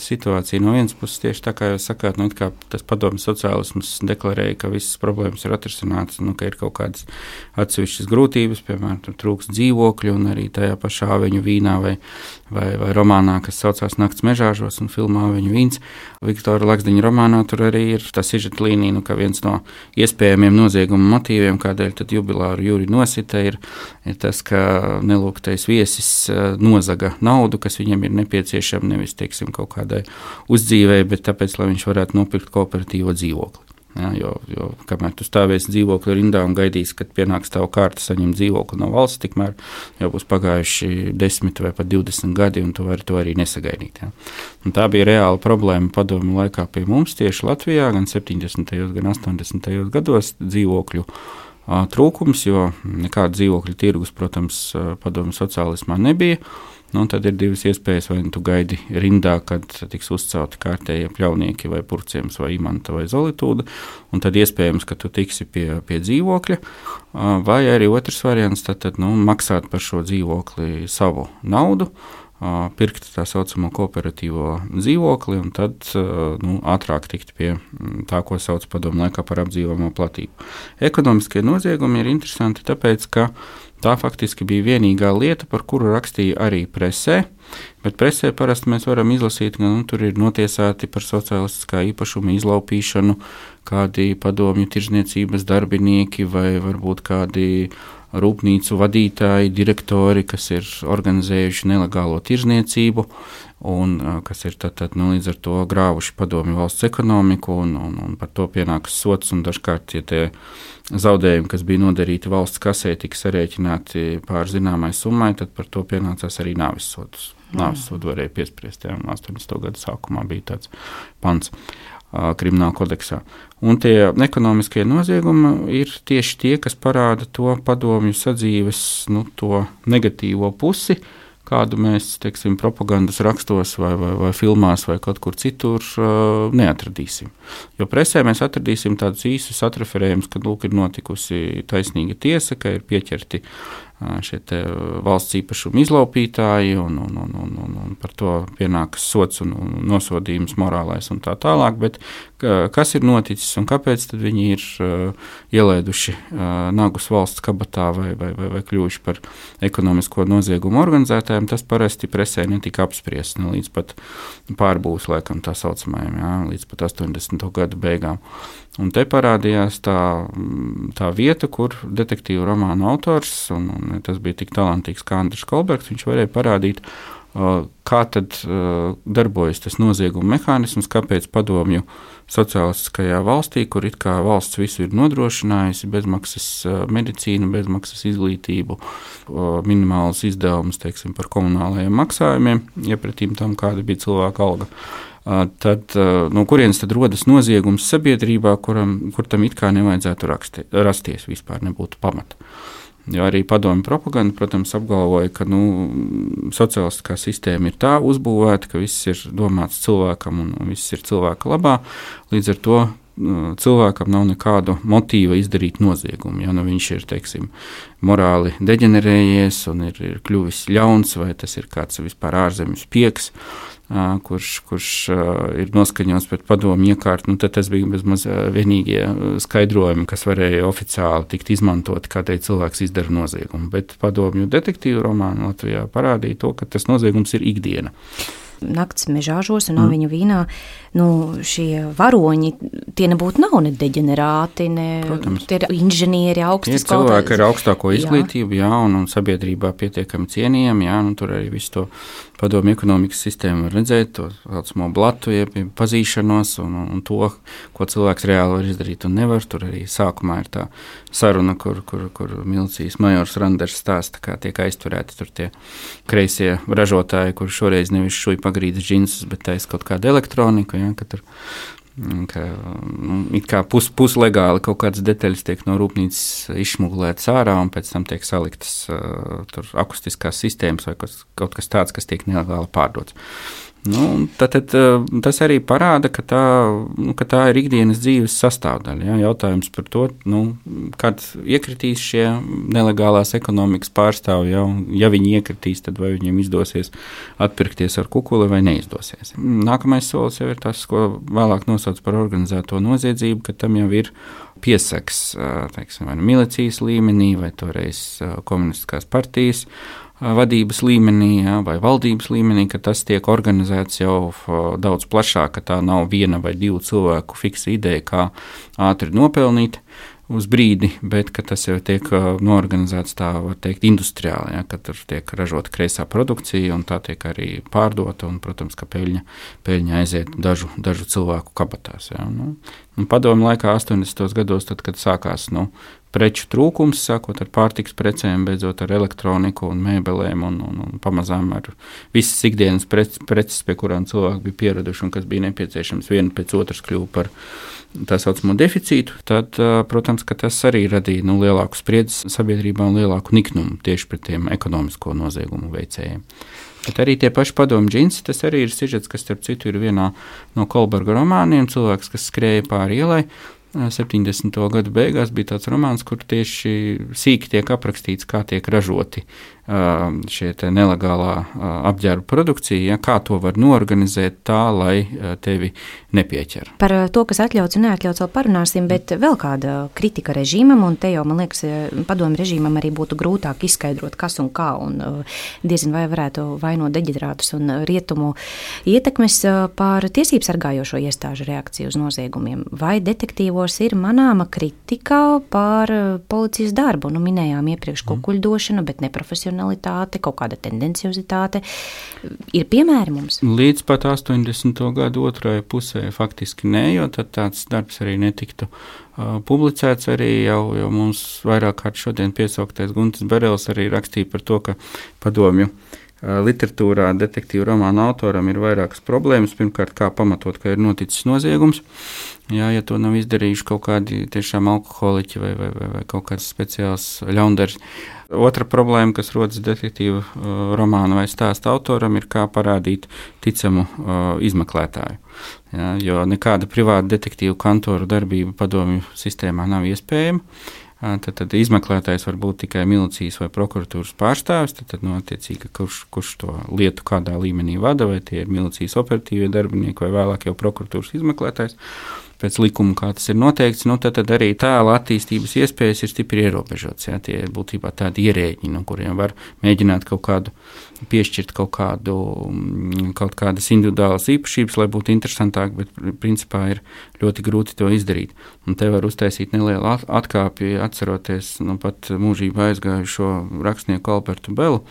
situācija. No vienas puses, tieši tā kā jūs sakāt, kā tas padomju sociālisms deklarēja, ka visas problēmas ir atrisinātas, ka ir kaut kādas atsevišķas grūtības, piemēram, tur trūks dzīvokļu, un arī tajā pašā Aviņu vīnā vai romānā, kas saucās Nakts mežāžos un filmā Aviņu vīns. Viktora Lakstiņa romānā tur arī ir tā sižeta līnija, ka viens no iespējamiem nozieguma motīviem, kādēļ tad jubilāru Juri nosita, ir tas, ka nelūgtais viesis nozaga naudu, kas viņam ir nepieciešama nevis, teiksim, kaut kādai uzdzīvei, bet tāpēc, lai viņš varētu nopirkt kooperatīvo dzīvokli. Ja, jo kamēr tu stāvēsi dzīvokļu rindā un gaidīsi, kad pienāks tava kārta saņemt dzīvokli no valsts, tikmēr jau būs pagājuši 10 vai pat 20 gadi, un tu vari to arī nesagaidīt. Ja. Un tā bija reāla problēma padomju laikā pie mums tieši Latvijā, gan 70. gan 80. gados dzīvokļu trūkums, jo nekāda dzīvokļu tirgus, protams, padomju sociālismā nebija. Tad ir divas iespējas, vai tu gaidi rindā, kad tiks uzcelti kārtējie pļaunieki vai purciems vai imanta vai zolitūda, un tad iespējams, ka tu tiksi pie dzīvokļa, vai arī otrs variants, tad maksāt par šo dzīvokli savu naudu, pirkt tā saucamo kooperatīvo dzīvokli un tad ātrāk tikt pie tā, ko sauc padomu laikā par apdzīvojamo platību. Ekonomiskie noziegumi ir interesanti tāpēc, ka tā faktiski bija vienīgā lieta, par kuru rakstīja arī presē, bet presē parasti mēs varam izlasīt, ka tur ir notiesāti par sociālistiskā īpašuma izlaupīšanu kādi padomju tirzniecības darbinieki vai varbūt kādi rūpnīcu vadītāji, direktori, kas ir organizējuši nelegālo tirzniecību un kas ir līdz ar to grāvuši padomju valsts ekonomiku un par to pienākas sots, un dažkārt tie zaudējumi, kas bija nodarīti valsts kasē, tika sarēķināti pār zināmai summai, tad par to pienācās arī nāves sodus. Nāves sodu varēja piespriest, 80. gadu sākumā bija tāds pants krimināla kodeksā. Un tie ekonomiskie noziegumi ir tieši tie, kas parāda to padomju sadzīves, to negatīvo pusi, kādu mēs, teiksim, propagandas rakstos vai filmās vai kaut kur citur neatradīsim. Jo presē mēs atradīsim tādus īsus atreferējumus, ka ir notikusi taisnīga tiesa, ka ir pieķerti šie valsts īpašuma izlaupītāji, un par to pienākas sots un nosodījums morālais un tā tālāk. Bet kas ir noticis un kāpēc tad viņi ir ielēduši nagus valsts kabatā vai kļuvuši par ekonomisko noziegumu organizētājiem, tas parasti presē netika apspriests līdz pat pārbūves laikam tā saucamajam, līdz pat 80. gadu beigām. Un te parādījās tā vieta, kur detektīvu romānu autors, un tas bija tik talantīgs kā Andris Kolbergs, viņš varēja parādīt, kā tad darbojas tas nozieguma mehānisms, kāpēc padomju sociālistiskajā valstī, kur it kā valsts visu ir nodrošinājusi, bezmaksas medicīnu, bezmaksas izglītību, minimālus izdevumus, teiksim, par komunālajiem maksājumiem, iepratīm tam, kāda bija cilvēka alga. Tad no kurienes tad rodas noziegums sabiedrībā, kur tam it kā nevajadzētu rasties, vispār nebūtu pamata. Jo arī padomju propaganda, protams, apgalvoja, ka sociālistiskā sistēma ir tā uzbūvēta, ka viss ir domāts cilvēkam un viss ir cilvēka labā. Līdz ar to cilvēkam nav nekādu motīva izdarīt noziegumu. Ja viņš ir, teiksim, morāli deģenerējies un ir kļuvis ļauns, vai tas ir kāds vispār ārzemju spiegs, kurš ir noskaņots pret padomu iekārtu, tad tas bija bezmaz vienīgie skaidrojumi, kas varēja oficiāli tikt izmantoti, kādēļ cilvēks izdara noziegumu. Bet padomju detektīvu romānu Latvijā parādīja to, ka tas noziegums ir ikdiena. Nakts mežāžos un aviņu vīnā, šie varoņi, tie nebūtu nav ne deģenerāti, tie ir inženieri, augstas kvalitātes. Cilvēki ar augstāko izglītību, un sabiedrībā pietiekami cienījami, tur arī visu to padomju ekonomikas sistēmu var redzēt, to saucamo blatu, pazīšanos un to, ko cilvēks reāli var izdarīt un nevar. Tur arī sākumā ir tā saruna, kur milicijas majors Randers stāsta, kā tiek aizturēti tur tie kreisie ražotāji, kur šoreiz nevis šuj pagrīdas džinsus, bet taisa kaut kādu elektroniku, ka tur it kā puslegāli kaut kādas detaļas tiek no rūpnīcas izšmuglētas ārā un pēc tam tiek saliktas tur akustiskās sistēmas vai kaut kas tāds, kas tiek nelegāli pārdots. Tad tas arī parāda, ka tā ir ikdienas dzīves sastāvdaļa. Jautājums par to, kad iekritīs šie nelegālās ekonomikas pārstāvji, ja viņi iekritīs, tad vai viņiem izdosies atpirkties ar kukuli vai neizdosies. Nākamais solis jau ir tas, ko vēlāk nosauc par organizēto noziedzību, ka tam jau ir piesaks, teiksim, vai milicijas līmenī, vai toreiz komunistiskās partijas vadības līmenī, vai valdības līmenī, ka tas tiek organizēts jau daudz plašāk, ka tā nav viena vai divu cilvēku fiksa ideja, kā ātri nopelnīt uz brīdi, bet ka tas jau tiek noorganizēts tā, var teikt, industriāli, ka tur tiek ražota kreisā produkcija un tā tiek arī pārdota un, protams, ka peļņa aiziet dažu cilvēku kabatās. Padomju laikā 80. gados, tad, kad sākās preču trūkums, sākot ar pārtikas precēm, beidzot ar elektroniku un mēbelēm un pamazām ar visas ikdienas preces, pie kurām cilvēki bija pieraduši un kas bija nepieciešams viena pēc otras kļuva par tā saucamo deficītu, tad, protams, ka tas arī radīja lielāku spriedzi sabiedrībā un lielāku niknumu tieši pret tiem ekonomisko noziegumu veicējiem. Bet arī tie paši padomju džinsi, tas arī ir sižets, kas, starp citu, ir vienā no Kolberga romāniem, cilvēks, kas skrēja pāri ielai. 70. gadu beigās bija tāds romāns, kur tieši sīki tiek aprakstīts, kā tiek ražoti šie nelegālā apģērba produkcija, kā to var noorganizēt tā, lai tevi nepieķer. Par to, kas atļauts un neatļauts, vēl parunāsim, bet vēl kāda kritika režīmam, un te jau, man liekas, padomju režīmam arī būtu grūtāk izskaidrot, kas un kā, un diezin vai varētu vainot deģenerātus un rietumu ietekmes par tiesību sargājošo iestāžu reakciju uz noziegumiem. Vai detektīvos ir manāma kritika par policijas darbu? Minējām iepriekš kukuļdošanu, bet neprofesionālitāte, kaut kāda tendenciozitāte. Ir piemēri mums? Līdz pat 80. gadu otrajai pusē faktiski nē, jo tad tāds darbs arī netiktu publicēts. Arī jau mums vairāk kārt šodien piesauktais Guntis Berelis arī rakstīja par to, ka padomju literatūrā detektīvu romānu autoram ir vairākas problēmas. Pirmkārt, kā pamatot, ka ir noticis noziegums. Ja to nav izdarījuši kaut kādi tiešām alkoholiķi vai kaut kāds speciāls ļaundaris. Otra problēma, kas rodas detektīvu romānu vai stāsta autoram, ir kā parādīt ticamu izmeklētāju. Jo nekāda privāta detektīvu kantoru darbība padomju sistēmā nav iespējama. tad izmeklētājs var būt tikai milicijas vai prokuratūras pārstāvis, tad attiecīgi, kurš to lietu kādā līmenī vada, vai tie ir milicijas operatīvie darbinieki vai vēlāk jau prokuratūras izmeklētājs. Pēc likuma, kā tas ir noteikts, tad arī tēla attīstības iespējas ir stipri ierobežotas. Ja? Tie ir būtībā tādi ierēģi, no kuriem var mēģināt piešķirt kaut kādas individuālas īpašības, lai būtu interesantāk, bet principā ir ļoti grūti to izdarīt. Un te var uztaisīt nelielu atkāpju, atceroties pat mūžībā aizgājušo rakstnieku Albertu Belu,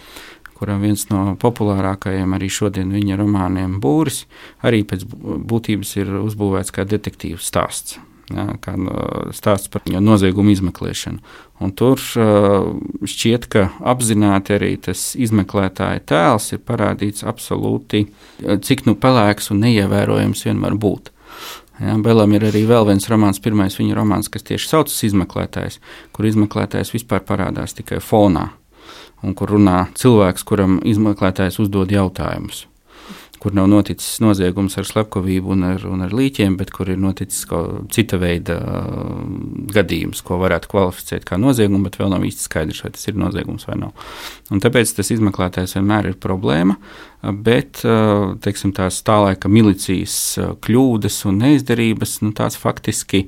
kuram viens no populārākajiem arī šodien viņa romāniem Būris, arī pēc būtības ir uzbūvēts kā detektīvu stāsts. Ja, kā stāsts par noziegumu izmeklēšanu. Un tur šķiet, ka apzināti arī tas izmeklētāja tēls ir parādīts absolūti, cik pelēks un neievērojams vien var būt. Ja, Belam ir arī vēl viens romāns, pirmais viņa romāns, kas tieši saucas Izmeklētājs, kur izmeklētājs vispār parādās tikai fonā. Un kur runā cilvēks, kuram izmeklētājs uzdod jautājumus, kur nav noticis noziegums ar slepkavību un ar līķiem, bet kur ir noticis cita veida gadījums, ko varētu kvalificēt kā noziegumu, bet vēl nav īsti skaidrs, vai tas ir noziegums vai nav. Un tāpēc tas izmeklētājs vienmēr ir problēma, bet, teiksim, tās tā laika milicijas kļūdas un neizdarības, tās faktiski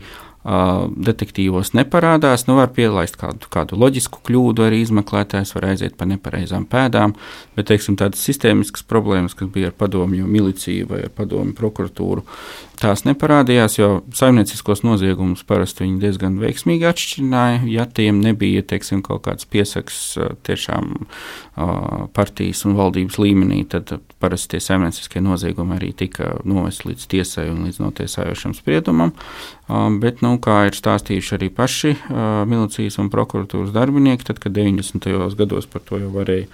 detektīvos neparādās, var pielaist kādu loģisku kļūdu, arī izmeklētājs var aiziet pa nepareizām pēdām, bet, teiksim, tādas sistēmiskas problēmas, kas bija ar padomju miliciju vai ar padomju prokuratūru, tās neparādījās, jo saimnieciskos noziegumus parasti viņi diezgan veiksmīgi atšķirināja, ja tiem nebija, teiksim, kaut kāds piesaks tiešām partijas un valdības līmenī, tad parasti tie saimnieciskie noziegumi arī tika novesti līdz tiesai un līdz notiesājošam spriedumam, bet, kā ir stāstījuši arī paši milicijas un prokuratūras darbinieki, tad, kad 90. gados par to jau varēja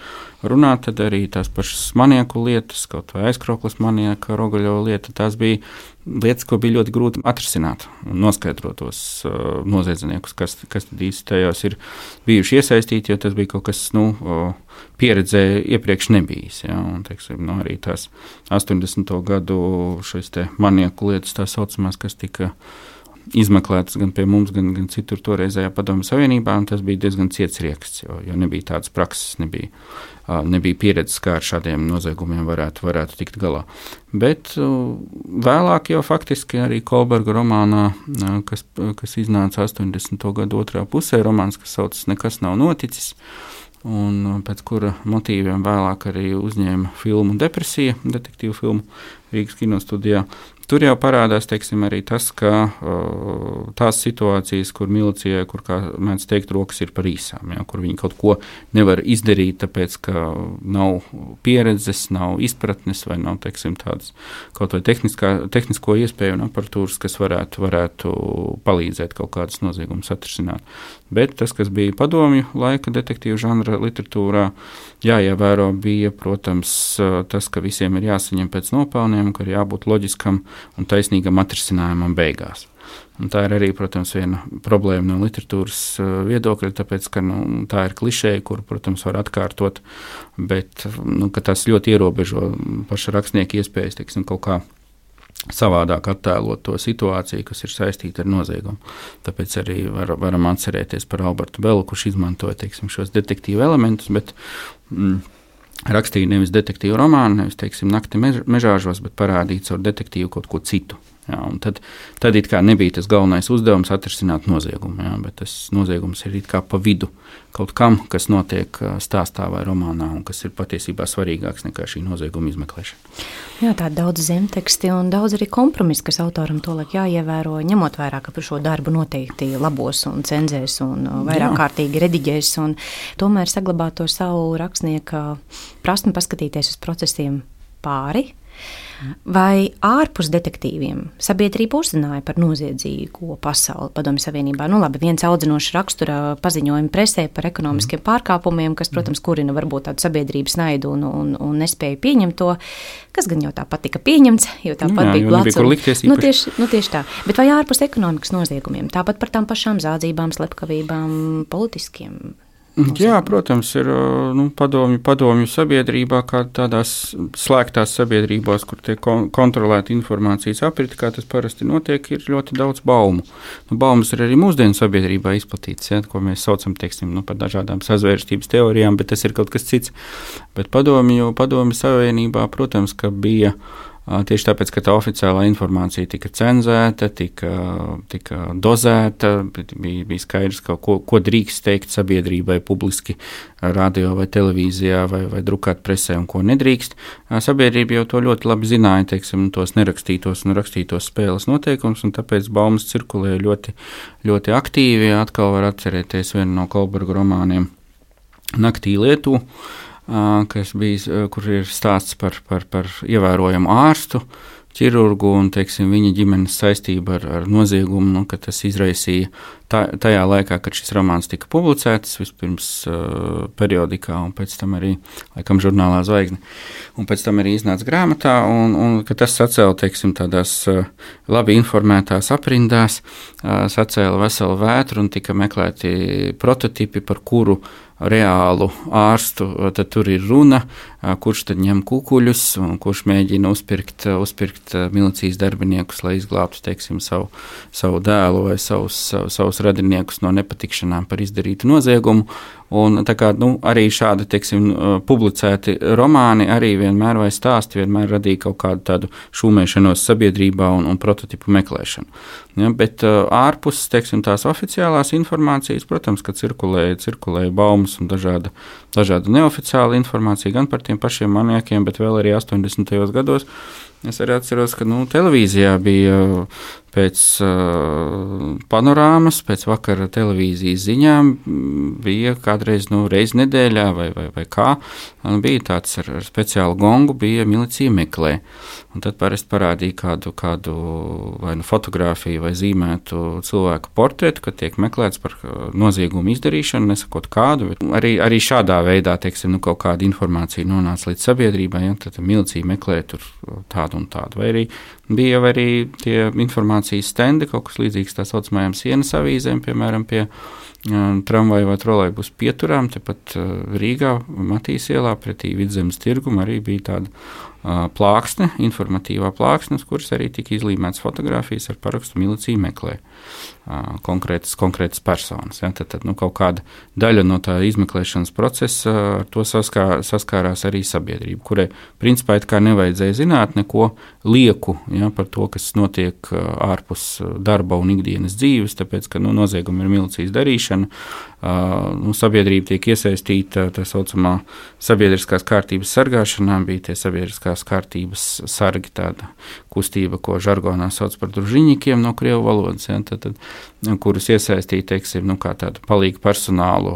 runāt, tad arī tās pašas manieku lietas, kaut vai aizkrauklas manieka, Rogaļova lieta, tās bija lietas, ko bija ļoti grūti atrisināt un noskaidrot tos noziedzniekus, kas tad īsti tajos ir bijuši iesaistīti, jo tas bija kaut kas, pieredzē iepriekš nebijis. Ja? Un, teiksim, arī tās 80. gadu šīs te manieku lietas, tā saucamās, kas tika izmeklētas gan pie mums, gan citur toreizējā Padomju Savienībā, un tas bija diezgan ciets rieksts, jo nebija tādas prakses, nebija pieredzes, kā ar šādiem noziegumiem varētu tikt galā. Bet vēlāk jau faktiski arī Kolberga romānā, kas iznāca 80. gadu otrā pusē, romāns, kas saucas Nekas nav noticis, un pēc kura motīviem vēlāk arī uzņēma filmu Depresija, detektīvu filmu Rīgas kinostudijā. Tur jau parādās, teiksim, arī tas, ka tās situācijas, kur milicijai, kur, kā mēdz teikt, rokas ir par īsām, ja, kur viņi kaut ko nevar izdarīt, tāpēc, ka nav pieredzes, nav izpratnes vai nav, teiksim, tādas kaut vai tehnisko iespēju un aparatūras, kas varētu palīdzēt kaut kādas noziegumus atrisināt. Bet tas, kas bija padomju laika detektīvu žanra literatūrā, jāievēro bija, protams, tas, ka visiem ir jāsaņem pēc nopelniem, ka ir jābūt loģiskam un taisnīgam atrisinājumam beigās. Un tā ir arī, protams, viena problēma no literatūras viedokļa, tāpēc, ka tā ir klišeja, kuru, protams, var atkārtot, bet ka tas ļoti ierobežo paša rakstnieka iespējas, teiksim, kaut kā savādāk attēlot to situāciju, kas ir saistīta ar noziegumu. Tāpēc arī varam atcerēties par Albertu Belu, kurš izmantoja, teiksim, šos detektīvu elementus, bet rakstīja nevis detektīvu romānu, nevis, teiksim, Nakti mežāžos, bet parādīja caur detektīvu kaut ko citu. Jā, un tad it kā nebija tas galvenais uzdevums atrisināt noziegumu, jā, bet tas noziegums ir it kā pa vidu kaut kam, kas notiek stāstā vai romānā un kas ir patiesībā svarīgāks nekā šī nozieguma izmeklēšana. Jā, tā daudz zemteksti un daudz arī kompromisu, kas autoram tolaik jāievēro, ņemot vērā, ka par šo darbu noteikti labos un cenzēs un vairāk kārtīgi rediģēs un tomēr saglabāt to savu rakstnieka prasmi paskatīties uz procesiem pāri. Vai ārpus detektīviem sabiedrība uzzināja par noziedzīgo pasauli Padomju Savienībā? Labi, viens audzinošs rakstura paziņojumi presē par ekonomiskiem pārkāpumiem, kas, protams, kurina varbūt tādu sabiedrības naidu un nespēju pieņemt to, kas gan jau tāpat tika pieņemts, jo tāpat bija plats. Tieši tā. Bet vai ārpus ekonomikas noziegumiem? Tāpat par tām pašām zādzībām, slepkavībām, politiskiem Jā, protams, ir padomju sabiedrībā, kā tādās slēgtās sabiedrībās, kur tiek kontrolēta informācijas aprite, kā tas parasti notiek, ir ļoti daudz baumu. Baumas ir arī mūsdienu sabiedrībā izplatītas, ja, ko mēs saucam, teiksim, par dažādām sazvērstības teorijām, bet tas ir kaut kas cits. Bet padomju savienībā, protams, ka bija tieši tāpēc, ka tā oficiālā informācija tika cenzēta, tika dozēta, bija skaidrs, ko drīkst teikt sabiedrībai publiski radio vai televīzijā vai drukāt presē un ko nedrīkst. Sabiedrība jau to ļoti labi zināja, teiksim, tos nerakstītos un rakstītos spēles noteikumus, un tāpēc baumas cirkulēja ļoti, ļoti aktīvi. Atkal var atcerēties vienu no Kolberga romāniem Naktī Lietuvā, kur ir stāsts par ievērojamu ārstu, ķirurgu un, teiksim, viņa ģimenes saistību ar noziegumu, ka tas izraisīja tajā laikā, kad šis romāns tika publicēts, vispirms periodikā un pēc tam arī, laikam, žurnālā Zvaigzne, un pēc tam arī iznāca grāmatā, un ka tas sacēla, teiksim, tādās labi informētās aprindās, sacēla veselu vētru un tika meklēti prototipi, par kuru reālu ārstu, tad tur ir runa, kurš tad ņem kukuļus un kurš mēģina uzpirkt milicijas darbiniekus, lai izglābtu, teiksim, savu dēlu vai savus radiniekus no nepatikšanām par izdarītu noziegumu. Un tā kā arī šādi, teiksim, publicēti romāni arī vienmēr vai stāsti vienmēr radīja kaut kādu tādu šūmēšanos sabiedrībā un prototipu meklēšanu. Ja, bet ārpus, teiksim, tās oficiālās informācijas, protams, ka cirkulēja baumas un dažāda neoficiāla informācija gan par tiem pašiem maniekiem, bet vēl arī 80. gados. Es arī atceros, ka televīzijā bija pēc panorāmas, pēc vakara televīzijas ziņām, bija kādreiz reizi nedēļā vai kā, bija tāds ar speciālu gongu, bija milicija meklē. Un tad parasti parādīja kādu vai fotografiju vai zīmētu cilvēku portretu, kad tiek meklēts par noziegumu izdarīšanu, nesakot kādu. Arī šādā veidā, teiksim, kaut kāda informācija nonāca līdz sabiedrībai, ja, tad milicija meklē tur tādu un tādu. Vai arī tie informācijas stendi, kaut kas līdzīgs tā saucamajām sienas avīzēm, piemēram, pie tramvaju vai trolejbusu pieturām, tepat Rīgā, Matīs ielā, pretī Vidzemes tirgum arī bija tāda plāksne, informatīvā plāksne, uz kuras arī tika izlīmētas fotogrāfijas ar parakstu milicija meklē konkrētas personas. Ja? Tad kaut kāda daļa no tā izmeklēšanas procesa ar to saskārās arī sabiedrība, kurai principā it kā nevajadzēja zināt neko lieku, ja, par to, kas notiek ārpus darba un ikdienas dzīves, tāpēc, ka noziegumi ir milicijas darīšana, sabiedrība tiek iesaistīta tā saucamā sabiedriskās kārtības sargāšanā, bija tie sabiedriskās kārtības sargi, tāda kustība, ko žargonā sauc par družiņikiem no krievu valodas, ja, kurus iesaistīja, teiksim, kā tādu palīgu personālu,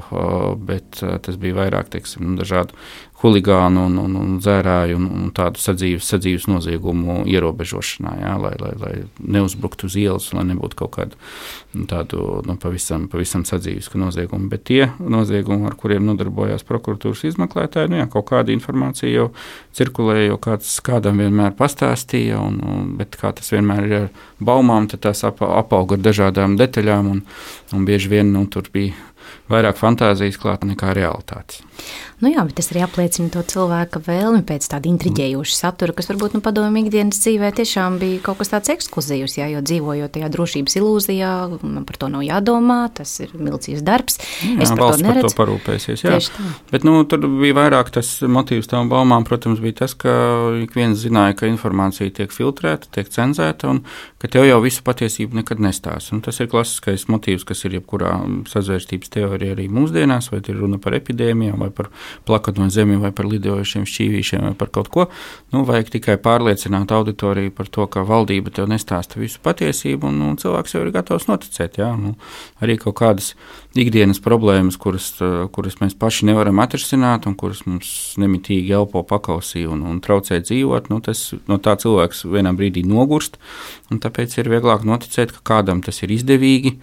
bet tas bija vairāk, teiksim, dažādu huligānu un dzērāju un tādu sadzīves noziegumu ierobežošanā, jā, lai neuzbruktu uz ielas, lai nebūtu kaut kādu tādu pavisam sadzīvisku noziegumu. Bet tie noziegumi, ar kuriem nodarbojās prokuratūras izmeklētāji, kaut kāda informācija jau cirkulēja, jau kādam vienmēr pastāstīja, bet kā tas vienmēr ir ar baumām, tad tās apauga ar dažādām detaļām un bieži vien tur bija vairāk fantāzijas klāta nekā realitātes. Jā, bet tas arī apliecina to cilvēka vēlmi pēc tāda intriģējoša satura, kas varbūt padomju ikdienas dzīvē tiešām bija kaut kas tāds ekskluzīvs, jā, jo dzīvojot tajā drošības ilūzijā, man par to nav jādomā, tas ir milicijas darbs. Jā, es par to neredzu. Par to parūpēsies, jā. Bet tur bija vairāk tas motīvs tām baumām, protams, bija tas, ka ik viens zināja, ka informācija tiek filtrēta, tiek cenzēta un ka tev jau visu patiesību nekad nestāsta. Un tas ir klasiskais motīvs, kas ir jebkurā sazvērstības teorija arī mūsdienās, vai ir runa par epidēmijām, vai par plakatu no zemi, vai par lidojošiem šķīvīšiem, vai par kaut ko. Vajag tikai pārliecināt auditoriju par to, ka valdība tev nestāsta visu patiesību, un cilvēks jau ir gatavs noticēt. Jā. Arī kaut kādas ikdienas problēmas, kuras mēs paši nevaram atrisināt, un kuras mums nemitīgi elpo pakausī un traucē dzīvot, tas no tā cilvēks vienā brīdī nogurst, un tāpēc ir vieglāk noticēt, ka kādam tas ir izdevīgi,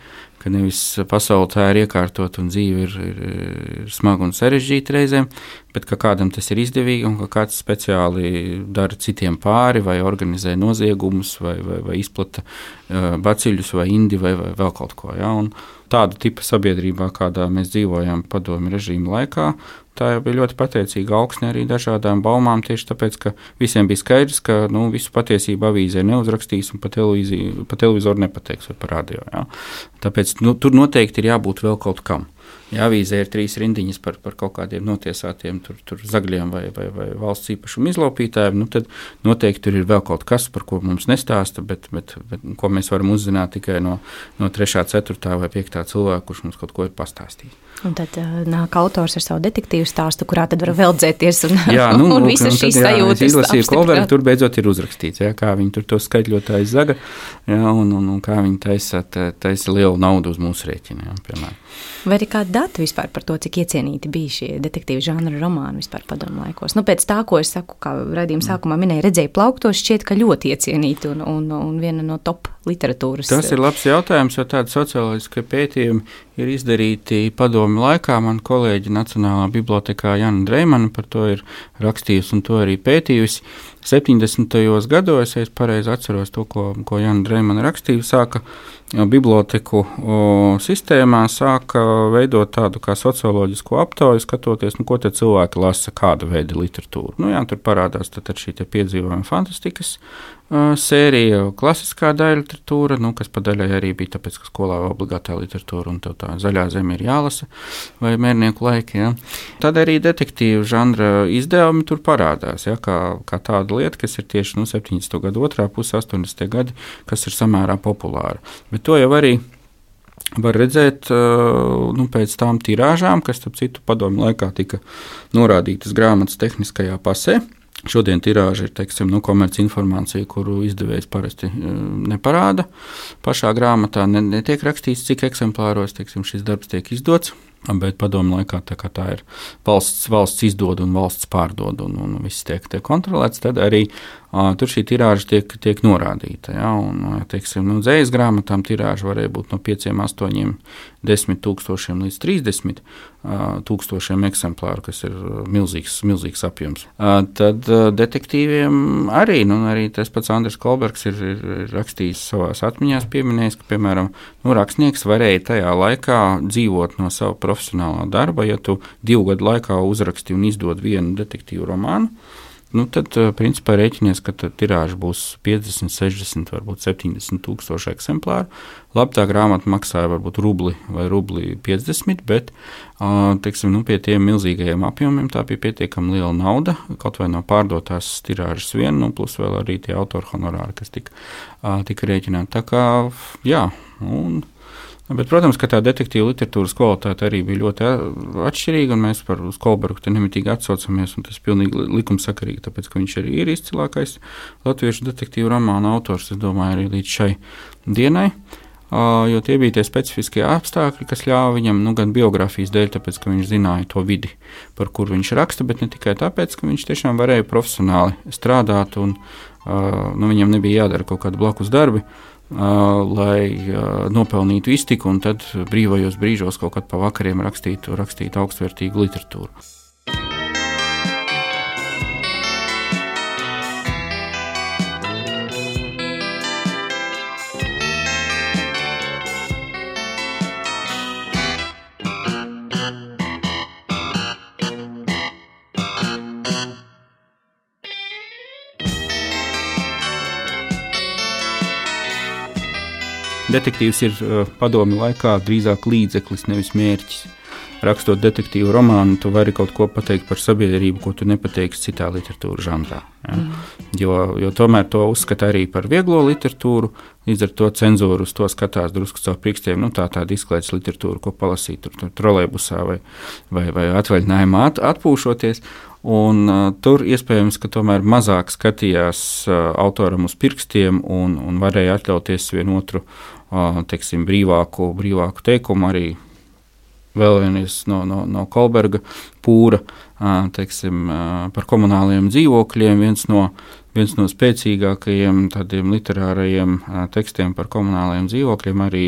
ka nevis pasaule tā ir iekārtot un dzīve ir smaga un sarežģīta reizēm, bet ka kādam tas ir izdevīgi un ka kāds speciāli dara citiem pāri vai organizē noziegumus vai izplata baciļus vai indi vai vēl kaut ko. Ja? tāda tipa sabiedrībā, kādā mēs dzīvojam padomju režīma laikā, tā jau bija ļoti pateicīga augsne arī dažādām baumām, tieši tāpēc, ka visiem bija skaidrs, ka visu patiesību avīzē neuzrakstīs un pa televizoru nepateiks vai pa radio. Ja? Tāpēc tur noteikti ir jābūt vēl kaut kam. Ja avīzē ir 3 rindiņas par kaut kādiem notiesātiem tur zagļiem vai valsts īpašumu izlaupītājiem, tad noteikti tur ir vēl kaut kas, par ko mums nestāsta, bet ko mēs varam uzzināt tikai no 3., 4. vai 5. cilvēka, kurš mums kaut ko ir pastāstījis. Un tad nāk autors ar savu detektīvu stāstu, kurā tad var veldzēties un visas šīs sajūtas. Es izlasīju Kolbergu, tur beidzot ir uzrakstīts, kā viņi tur to skaļļotāju zaga, un kā viņi taisa lielu naudu uz mūsu rēķina, piemēram. Vai ir kādi dati vispār par to, cik iecienīti bija šie detektīvu žanra romāni vispār padomu laikos? Pēc tā, ko es saku, kā raidījuma sākumā minēju, redzēju plauktos, šķiet, ka ļoti iecienīti un viena no top literatūras. Tas ir labs jautājums, jo tādi socioloģiskie pētījumi ir izdarīti padomu laikā. Man kolēģi Nacionālā bibliotekā Jana Dreimana par to ir rakstījusi un to arī pētījusi. 70. gados, ja es pareizi atceros to, ko Jana Dreimana rakstīja, sāka biblioteku sistēmā, sāka veidot tādu kā socioloģisku aptauju, skatoties, ko te cilvēki lasa, kāda veida literatūru. Tur parādās tad šī piedzīvojuma fantastikas sērija, klasiskā daļa literatūra, kas pa daļai arī bija tāpēc, ka skolā obligātā literatūra un tev tā zaļā zeme ir jālasa, vai mērnieku laiki. Ja. Tad arī detektīvu žanra izdevumi tur parādās, kā tāda lieta, kas ir tieši 70. gadu otrā puse, 80. gadi, kas ir samērā populāra. Bet to jau arī var redzēt pēc tām tirāžām, kas, starp citu, padomju laikā tika norādītas grāmatas tehniskajā pasē. Šodien tirāža ir, komerci informācija, kuru izdevējs parasti neparāda. Pašā grāmatā netiek rakstīts, cik eksemplāros, šis darbs tiek izdots. Bet padomu laikā tā ir valsts izdod un valsts pārdod un viss tiek kontrolēts, tad arī tur šī tirāža tiek norādīta. Ja? Dzējas grāmatām tirāža varēja būt no 5, 8, 10 tūkstošiem līdz 30 tūkstošiem eksemplāru, kas ir milzīgs apjoms. Tad detektīviem arī tas pats Andris Kolbergs ir rakstījis savās atmiņās, pieminējis, ka, piemēram, rakstnieks varēja tajā laikā dzīvot no sava profesionālā darba. Ja tu 2 gadu laikā uzraksti un izdod vienu detektīvu romānu, tad, principā, rēķinies, ka tirāža būs 50, 60, varbūt 70 tūkstoši eksemplāru. Labi, tā grāmata maksāja varbūt rubli vai rubli 50, bet, pie tiem milzīgajiem apjomiem tā bija pietiekami liela nauda, kaut vai no pārdotās tirāžas vien, plus vēl arī tie autoru honorāri, kas tika rēķināti. Tā kā, jā, bet, protams, ka tā detektīva literatūras kvalitāte arī bija ļoti atšķirīga, un mēs par Kolbergu te nemitīgi atsaucamies, un tas pilnīgi likumsakarīgi, tāpēc, ka viņš arī ir izcilākais latviešu detektīvu romānu autors, es domāju, arī līdz šai dienai, jo tie bija tie specifiskie apstākļi, kas ļāva viņam, gan biogrāfijas dēļ, tāpēc, ka viņš zināja to vidi, par kur viņš raksta, bet ne tikai tāpēc, ka viņš tiešām varēja profesionāli strādāt, un viņam nebija jādara kaut kādi blakus darbi, lai nopelnītu iztiku un tad brīvajos brīžos kaut kad pa vakariem rakstīt augstvērtīgu literatūru. Detektīvs ir padomju laikā drīzāk līdzeklis, nevis mērķis. Rakstot detektīvu romānu, tu vari kaut ko pateikt par sabiedrību, ko tu nepateiksi citā literatūras žanrā. Ja? Jo tomēr to uzskata arī par vieglo literatūru, līdz ar to cenzūru uz to skatās drusku caur pirkstiem, tāda izklaides literatūra, ko palasīt tur trolejbusā vai atvaļinājumā atpūšoties. Un tur iespējams, ka tomēr mazāk skatījās autoram uz pirkstiem un varēja atļauties vienotru, brīvāku teikumu arī. Vēl vienreiz no Kolberga pūra, par komunāliem dzīvokļiem, viens no spēcīgākajiem tādiem literārajiem tekstiem par komunāliem dzīvokļiem arī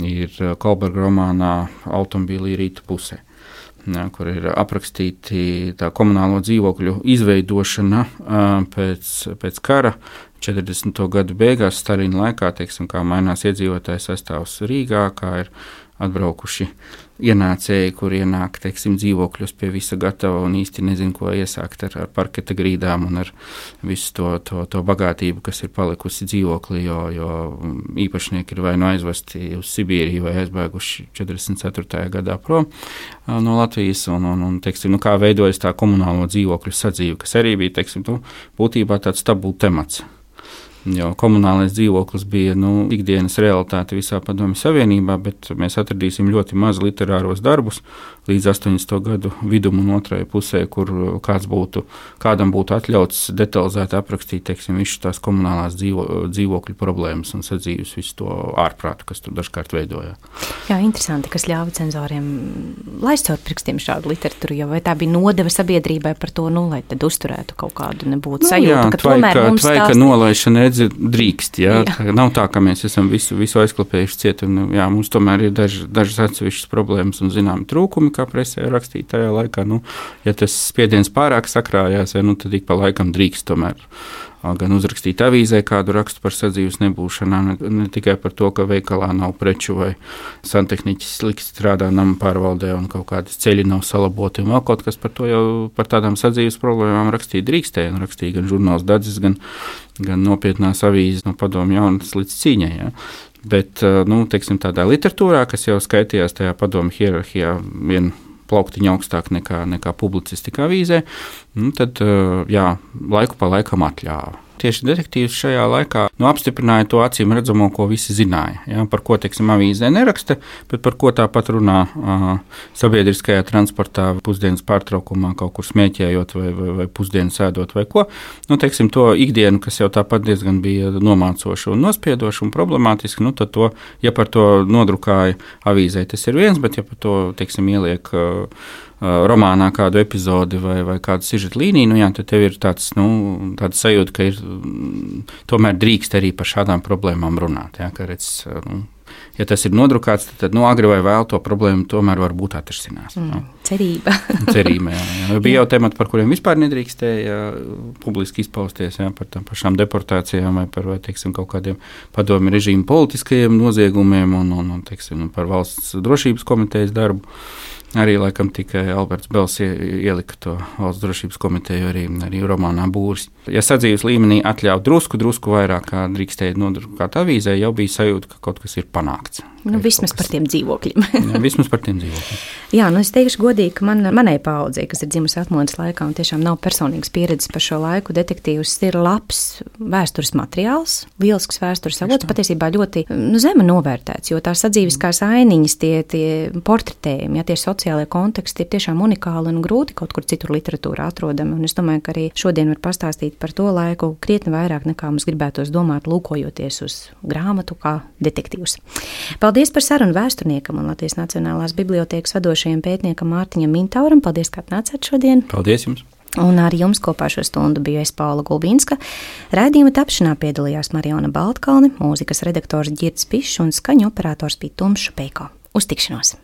ir Kolberga romānā Automobīlī rīta pusē, kur ir aprakstīti tā komunālo dzīvokļu izveidošana pēc kara 40. gadu beigās, Staļina laikā, kā mainās iedzīvotāju sastāvs Rīgā, kā ir atbraukuši ienācēji, kur ienāk, teiksim, dzīvokļus pie visa gatava un īsti nezinu, ko iesākt ar parketa grīdām un ar visu to bagātību, kas ir palikusi dzīvoklī, jo īpašnieki ir vai nu aizvesti uz Sibīriju vai aizbēguši 44. gadā prom no Latvijas un teiksim, kā veidojas tā komunālo dzīvokļu sadzīve, kas arī bija, teiksim, būtībā tāds tabū temats. Jo komunālais dzīvoklis bija ikdienas realitāte visā Padomju Savienībā, bet mēs atradīsim ļoti maz literāros darbus līdz 80. gadu vidum un otrajai pusē, kur kādam būtu atļauts detalizēti aprakstīt, teiksim, visu tās komunālās dzīvokļu problēmas un sadzīves visu to ārprātu, kas tur dažkārt veidojā. Jā, interesanti, kas ļāva cenzoriem laist caur pirkstiem šādu literatūru, jo vai tā bija nodeva sabiedrībai par to, lai tad uzturētu kaut kādu nebūtu sajūtu, ka tomēr mums ka nolaišana drīkst, jā. Nav tā, ka mēs esam visu aizklapējuši ciet, un mums tomēr ir dažas atsevišķas problēmas un zināmi trūkumi, kā presē rakstīt tajā laikā. Ja tas spiediens pārāk sakrājās, tad ik pa laikam drīkst tomēr gan uzrakstīt avīzē kādu rakstu par sadzīves nebūšanā, ne tikai par to, ka veikalā nav preču vai santehniķis slikti strādā nama pārvaldē un kaut kādas ceļi nav salaboti un vēl kaut kas par to jau par tādām sadzīves problēmām rakstīt drīkstēja un rakstīja gan žurnāls Dadzis, gan nopietnās avīzes no Padomju jaunatnes līdz cīņai. Ja. Bet, teiksim, tādā literatūrā, kas jau skaitījās tajā Padomju hierarhijā vienu plauktiņu augstāk nekā publicistika avīzē, tad laiku pa laikam atļāva. Tieši detektīvs šajā laikā apstiprināja to acīm redzamo, ko visi zināja. Ja, par ko, teiksim, avīzē neraksta, bet par ko tāpat runā sabiedriskajā transportā, pusdienas pārtraukumā, kaut kur smēķējot vai pusdienas ēdot vai ko. Teiksim, to ikdienu, kas jau tāpat diezgan bija nomācoša un nospiedoša un problemātiska, tad to, ja par to nodrukāja avīzē, tas ir viens, bet ja par to, teiksim, ieliek romānā kādu epizodi vai kādu sižeta līniju, tad tev ir tāds sajūta, ka ir tomēr drīkst arī par šādām problēmām runāt. Ja, ka redz, ja tas ir nodrukāts, tad agri vai vēl to problēmu tomēr varbūt atrisinās. Cerība. Cerība, jā. Bija jau temati, par kuriem vispār nedrīkstēja publiski izpausties, par tām pašām deportācijām vai teiksim, kaut kādiem padomju režīmu politiskajiem noziegumiem un teiksim, par valsts drošības komitejas darbu. Arī laikam tikai Alberts Bels ielika to valsts drošības komiteju arī romānā Būris. Ja sadzīves līmenī atļauj drusku vairāk, kā drīkstēja nodrukāt avīzē, jau bija sajūta, ka kaut kas ir panākts. Vismaz par tiem dzīvokļiem. Vismaz par tiem dzīvokļiem. Jā, es teikšu godīgi, ka manai paaudzei, kas ir dzimusi atmodas laikā un tiešām nav personīgas pieredzes par šo laiku, detektīvs ir labs vēstures materiāls, lielisks vēstures avots, patiesībā ļoti zemi novērtēts, jo tās sadzīviskās ainiņas, tie portretējumi, tie sociālajie konteksti ir tiešām unikāli un grūti kaut kur citur literatūrā atrodami. Un es domāju, ka arī šodien var pastāstīt par to laiku krietni vairāk nekā mums gribētos domāt, lūkojoties uz grāmatu kā detektīvs. Paldies par sarunu vēsturniekam un Latvijas Nacionālās bibliotēkas vadošajam pētniekam Mārtiņam Mintauram. Paldies, ka atnācāt šodien. Paldies jums. Un ar jums kopā šo stundu biju es, Paula Gulbinska. Raidījuma tapšanā piedalījās Mariona Baltkalne, mūzikas redaktors Girds Pišs un skaņu operators bija Tumšs Peiko. Uz tikšanos!